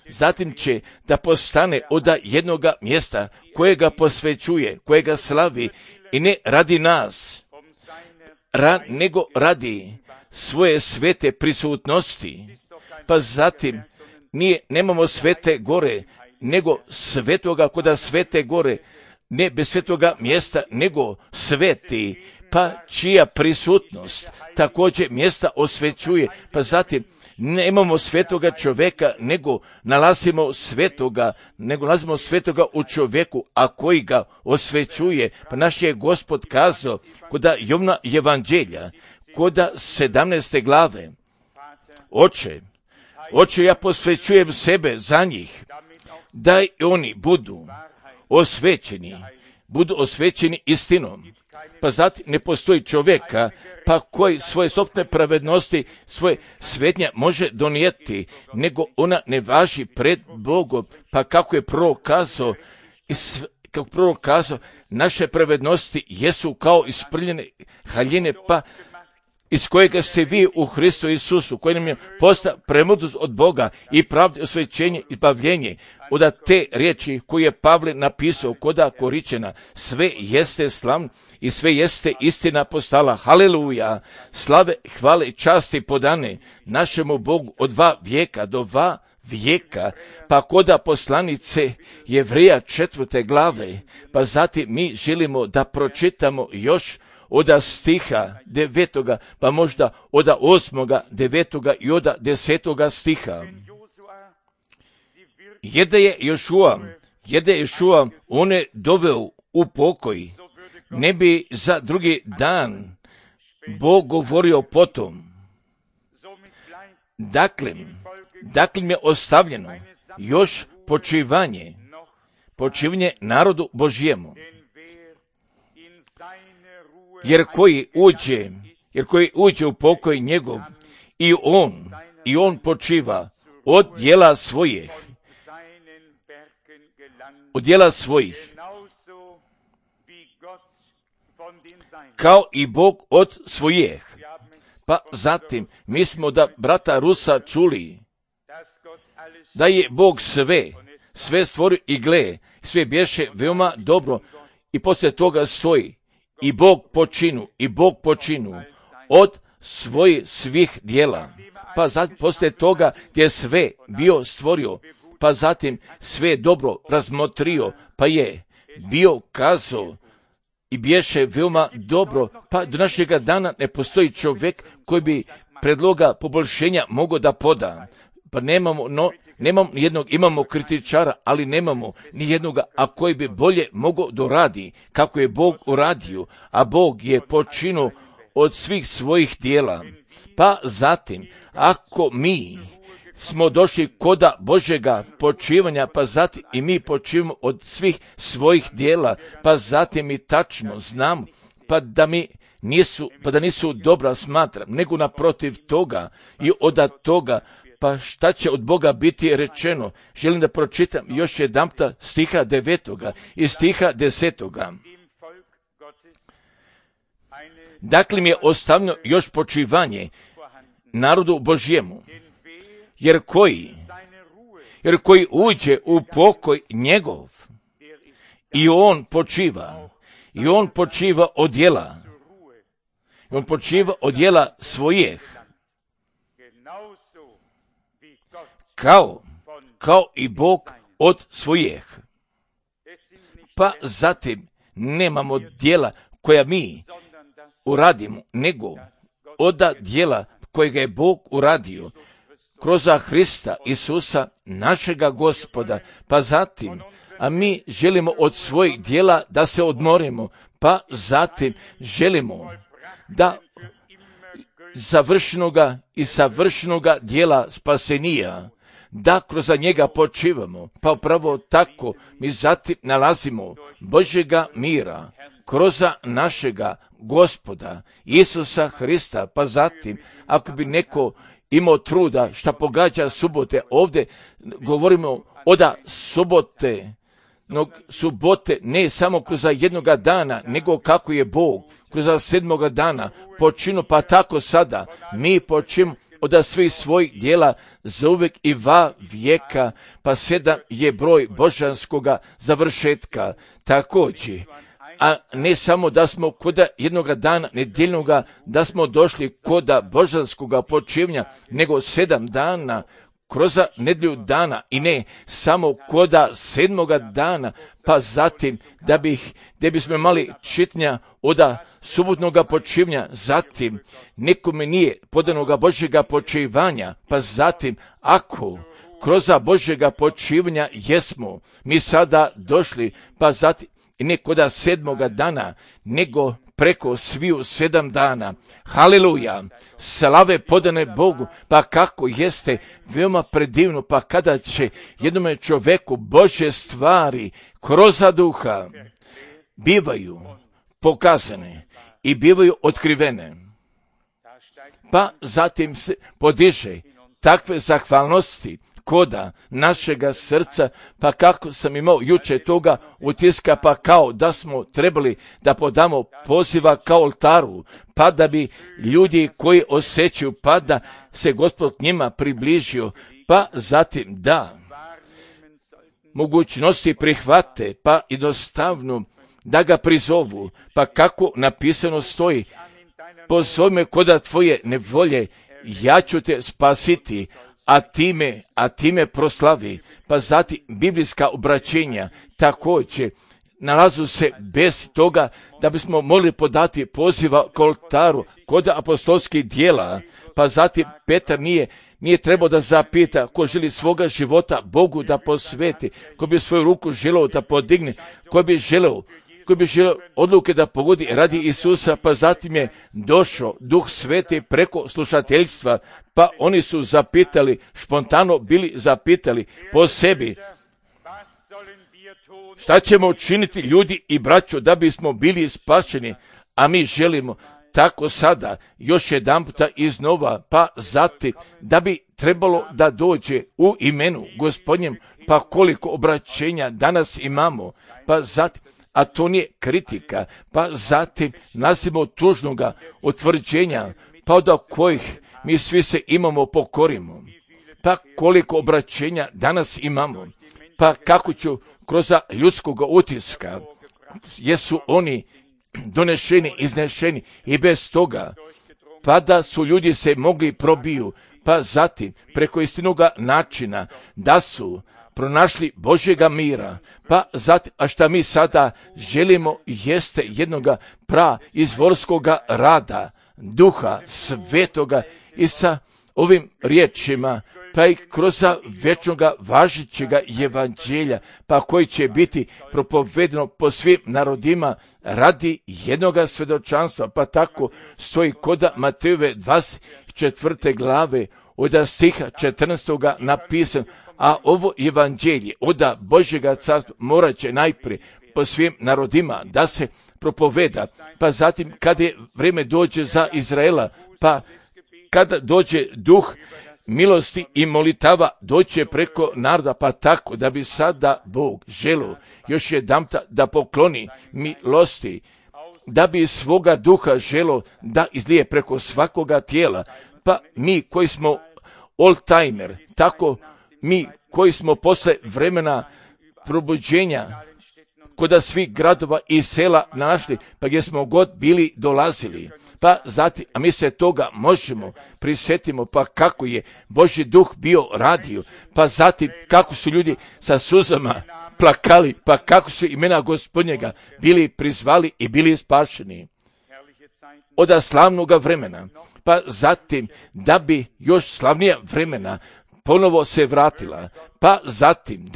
zatim će da postane od jednoga mjesta kojega posvećuje, kojega slavi, i ne radi nas, nego radi svoje svete prisutnosti, pa zatim nemamo svete gore, nego svetoga koda svete gore, ne bez svetoga mjesta, nego sveti, pa čija prisutnost također mjesta osvećuje, pa zatim nemamo svetoga čovjeka, nego nalazimo svetoga u čovjeku, a koji ga osvećuje. Pa naš je Gospod kazao koda Jovna evanđelja, koda 17. glave, Oče, ja posvećujem sebe za njih, da i oni budu osvećeni istinom. Pa zatim ne postoji čovjeka, pa koji svoje sopstvene pravednosti, svoje svetnja može donijeti, nego ona ne važi pred Bogom. Pa kako je prorok kazao, naše pravednosti jesu kao isprljene haljine, pa iz kojega ste vi u Hristu Isusu, koji nam je postao premudrost od Boga i pravde, osvećenje i bavljenje. Od te riječi koje je Pavle napisao koda Koričena, sve jeste slavno i sve jeste istina postala. Haleluja! Slave, hvale i časti podane našemu Bogu od 2 vijeka do 2 vijeka, pa koda poslanice Jevreja 4. glave, pa zatim mi želimo da pročitamo još od stiha 9. pa možda od 8., 9. i od 10. stiha. Jede je Jošua, on je doveo u pokoj, ne bi za drugi dan Bog govorio potom. Dakle mi je ostavljeno još počivanje narodu Božjemu. Jer koji uđe u pokoj njegov i on počiva od djela svojih, kao i Bog od svojih. Pa zatim, mi smo da brata Rusa čuli da je Bog sve stvorio i gle, sve bješe veoma dobro i poslije toga stoji i Bog počinu od svojih svih djela. Pa zatim poslije toga gdje je sve bio stvorio, pa zatim sve dobro razmotrio, pa je bio kazao i bješe veoma dobro, pa do našega dana ne postoji čovjek koji bi predloga poboljšenja mogao da poda. Pa nemamo jednog, imamo kritičara, ali nemamo ni jednoga, a koji bi bolje mogao doradi kako je Bog uradio, a Bog je počinuo od svih svojih djela. Pa zatim, ako mi smo došli koda Božjega počivanja, pa zatim i mi počivamo od svih svojih djela, pa zatim i tačno znamo, pa da nisu dobra smatram, nego naprotiv toga i od toga, pa šta će od Boga biti rečeno? Želim da pročitam još jedanputa stiha 9. i stiha 10. Dakle mi je ostavljeno još počivanje narodu Božjemu, jer koji uđe u pokoj njegov i on počiva od djela svojih, kao i Bog od svojih. Pa zatim nemamo djela koja mi uradimo, nego od djela kojega je Bog uradio kroz Hrista Isusa, našega Gospoda. Pa zatim, a mi želimo od svojih djela da se odmorimo, pa zatim želimo da savršenoga djela spasenija, da kroz njega počivamo, pa upravo tako mi zatim nalazimo Božjega mira kroz našega Gospoda Isusa Hrista. Pa zatim, ako bi neko imao truda šta pogađa subote, ovdje govorimo od subote ne samo kroz jednoga dana, nego kako je Bog kroz 7. dana počinu, pa tako sada mi počinu od svih svojih djela za uvijek i va vijeka, pa 7 je broj božanskoga završetka. Također, a ne samo da smo koda jednoga dana nedjeljnoga, da smo došli koda božanskoga počivnja, nego 7 dana kroz nedjelju dana i ne samo koda 7. dana, pa zatim da bismo imali čitnja od subotnoga počivnja, zatim nekome nije podanoga Božjega počivanja, pa zatim ako kroz Božjega počivanja jesmo mi sada došli, pa zatim i ne koda 7. dana, nego preko sviju 7 dana. Haleluja! Slave podane Bogu, pa kako jeste veoma predivno, pa kada će jednome čoveku Božje stvari kroz duha bivaju pokazane i bivaju otkrivene. Pa zatim se podiže takve zahvalnosti koda našega srca, pa kako sam imao juče toga utiska, pa kao da smo trebali da podamo poziva kao oltaru, pa da bi ljudi koji osjećaju, pa da se Gospod njima približio, pa zatim da mogućnosti prihvate, pa jednostavno da ga prizovu, pa kako napisano stoji, pozove me koda tvoje nevolje, ja ću te spasiti, a time proslavi. Pa zatim biblijska obraćenja također nalazu se bez toga da bismo mogli podati poziva k oltaru kod apostolskih djela. Pa zatim Petar nije trebao da zapita ko želi svoga života Bogu da posveti, ko bi svoju ruku želeo da podigne, ko bi želeo odluke da pogodi radi Isusa. Pa zatim je došao Duh Sveti preko slušateljstva, pa oni su zapitali, spontano bili zapitali po sebi, šta ćemo učiniti ljudi i braćo da bismo bili spašeni, a mi želimo tako sada još jedanputa iznova, pa zatim da bi trebalo da dođe u imenu Gospodnjem, pa koliko obraćenja danas imamo, pa zatim, a to nije kritika, pa zatim nasimo tužnoga utvrđenja, pa od kojih mi svi se imamo pokorimo, pa koliko obraćenja danas imamo, pa kako ću kroz ljudskog utiska, jesu oni donešeni, iznešeni i bez toga, pa da su ljudi se mogli probiju, pa zatim preko istinoga načina da su pronašli Božjega mira, pa zatim, a šta mi sada želimo jeste jednoga izvorskoga rada, Duha Svetoga i sa ovim riječima, pa i kroz večnoga važećega evanđelja, pa koji će biti propovedeno po svim narodima radi jednoga svjedočanstva, pa tako stoji kod Matejove 24. glave od stiha 14. napisan, a ovo evanđelje od Božjega carstva morat će najprije po svim narodima da se propoveda, pa zatim kada je vrijeme dođe za Izraela, pa kada dođe duh milosti i molitava doće preko naroda, pa tako da bi sada Bog želio još jedanputa da pokloni milosti, da bi svoga duha želio da izlije preko svakoga tijela, pa mi koji smo old-timer, tako mi koji smo posle vremena probuđenja kod svih gradova i sela našli, pa gdje smo god bili dolazili, pa zatim, a mi se toga možemo prisjetimo, pa kako je Božji duh bio radio, pa zatim kako su ljudi sa suzama plakali, pa kako su imena Gospodnjega bili prizvali i bili spašeni od slavnoga vremena, pa zatim da bi još slavnija vremena ponovo se vratila, pa zatim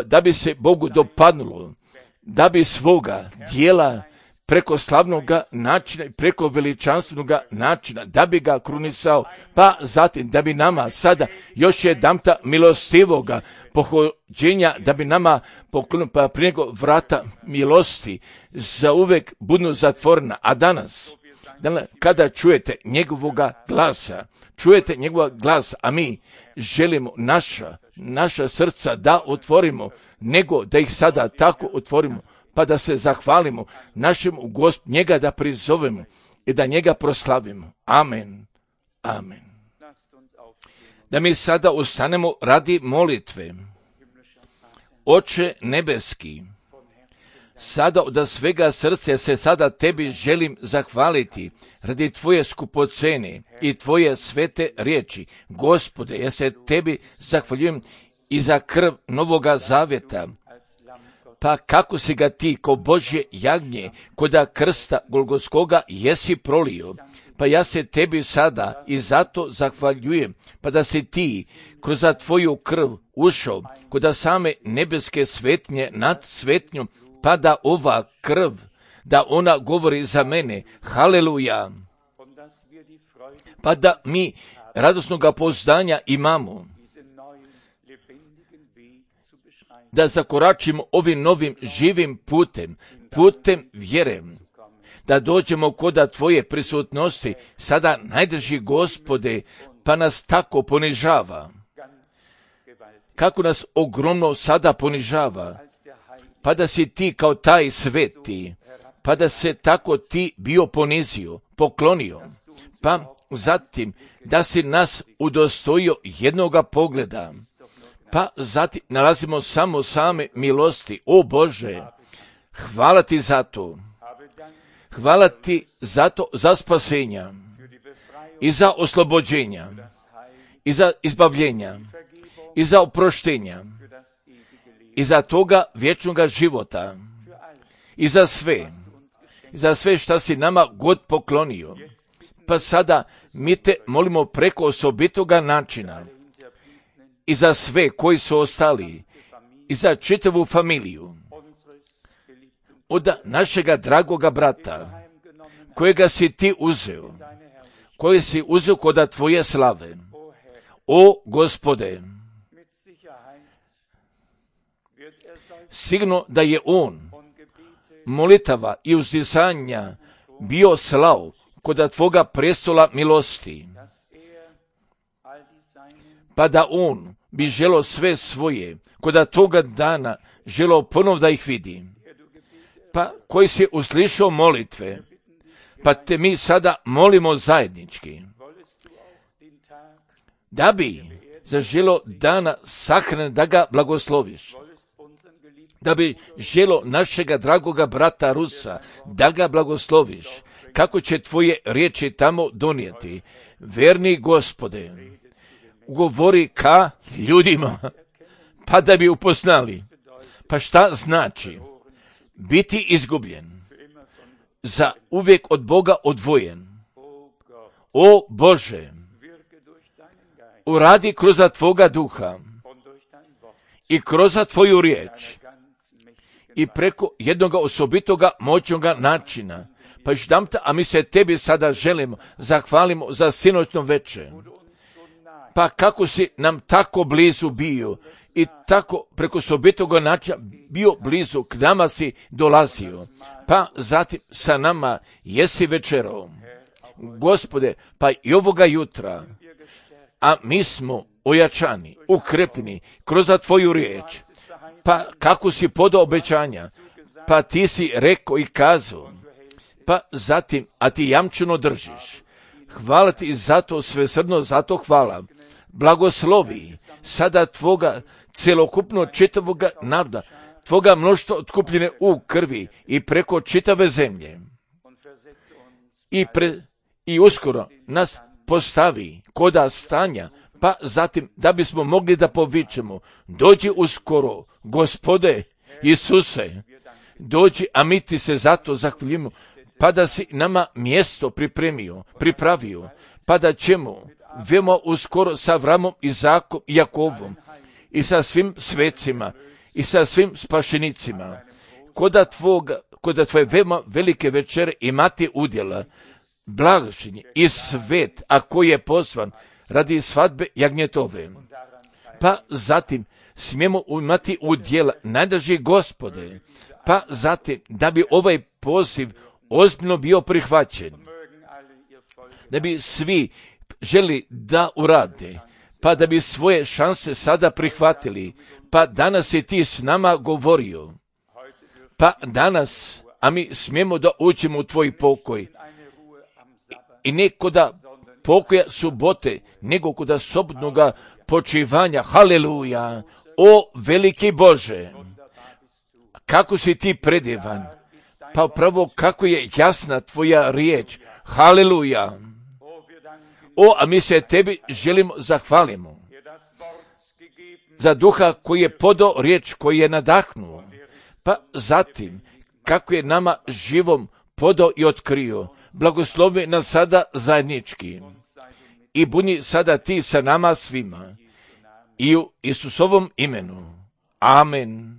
da bi se Bogu dopadnulo, da bi svoga dijela preko slavnoga načina i preko veličanstvenoga načina, da bi ga krunisao, pa zatim da bi nama sada još jedanputa milostivoga pohođenja, da bi nama poklonio, pa prije nego vrata milosti za uvek budu zatvorena. A danas kada čujete njegovoga glasa, a mi želimo naša srca da otvorimo, nego da ih sada tako otvorimo, pa da se zahvalimo našemu Gospodu, njega da prizovemo i da njega proslavimo. Amen. Amen. Da mi sada ustanemo radi molitve. Oče nebeski, sada od svega srca se sada tebi želim zahvaliti radi tvoje skupocene i tvoje svete riječi. Gospode, ja se tebi zahvaljujem i za krv Novoga Zavjeta, pa kako si ga ti ko Božje jagnje koda krsta Golgotskoga jesi prolio, pa ja se tebi sada i zato zahvaljujem, pa da si ti kroz tvoju krv ušao koda same nebeske svetnje nad svetnjom, pa da ova krv, da ona govori za mene, haleluja, pa da mi radosnoga pouzdanja imamo, da zakoračimo ovim novim živim putem vjere, da dođemo koda tvoje prisutnosti, sada najdrži Gospode, pa nas tako ponižava, kako nas ogromno sada ponižava, pa da si ti kao taj sveti, pa da se tako ti bio ponizio, poklonio, pa zatim da si nas udostojio jednoga pogleda, pa zatim nalazimo samo same milosti. O Bože, hvala ti za to. Hvala ti za to, za spasenja i za oslobođenja i za izbavljenja, i za oproštenja, i za toga vječnoga života, i za sve šta si nama god poklonio. Pa sada mi te molimo preko osobitoga načina i za sve koji su ostali, i za čitavu familiju, od našega dragoga brata, kojega si ti uzeo, koji si uzeo kod tvoje slave. O Gospode, sigurno da je on molitava i uzdisanja bio slao kod tvoga prestola milosti, pa da on bi želo sve svoje kod toga dana želo ponov da ih vidi, pa koji si uslišao molitve, pa te mi sada molimo zajednički, da bi zaželo dana sahrane da ga blagosloviš, da bi želo našega dragoga brata Rusa da ga blagosloviš, kako će tvoje riječi tamo donijeti. Verni Gospode, govori ka ljudima, pa da bi upoznali. Pa šta znači biti izgubljen, za uvijek od Boga odvojen? O Bože, uradi kroz tvoga duha i kroz tvoju riječ i preko jednoga osobitoga moćnoga načina. Pa još dam te, a mi se tebi sada želimo, zahvalimo za sinoćno večer. Pa kako si nam tako blizu bio i tako preko osobitoga načina bio blizu, k nama si dolazio. Pa zatim sa nama jesi večerao. Gospode, pa i ovoga jutra, a mi smo ojačani, ukrepni kroz tvoju riječ. Pa kako si podao obećanja, pa ti si rekao i kazao, pa zatim, a ti jamčeno držiš. Hvala ti za to, svesrdno za to hvala. Blagoslovi sada tvoga celokupno čitavoga naroda, tvoga mnoštva otkupljene u krvi i preko čitave zemlje. I uskoro nas postavi koda stanja, pa zatim da bismo mogli da povičemo, dođi uskoro, Gospode Isuse, dođi, a mi ti se zato zahvaljujemo, pa da si nama mjesto pripravio, pa da ćemo veoma uskoro sa Avramom, Izakom i Jakovom i sa svim svecima i sa svim spašenicima kod tvoje veoma velike večere imati udjela, blagošenje i svet, a koji je pozvan radi svadbe jagnjetove. Pa zatim smijemo imati udjela, najdraži Gospode, pa zatim da bi ovaj poziv ozbiljno bio prihvaćen, da bi svi želi da urade, pa da bi svoje šanse sada prihvatili, pa danas si ti s nama govorio, pa danas, a mi smijemo da uđemo u tvoj pokoj, i ne koda pokoja subote, nego koda sobotnoga počivanja. Haleluja! O veliki Bože, kako si ti predivan, pa upravo kako je jasna tvoja riječ. Haleluja! O, a mi se tebi želimo zahvalimo za duha koji je podao riječ, koji je nadahnuo, pa zatim kako je nama živom podao i otkrio. Blagoslovi nas sada zajednički i budi sada ti sa nama svima i u Isusovom imenu. Amen.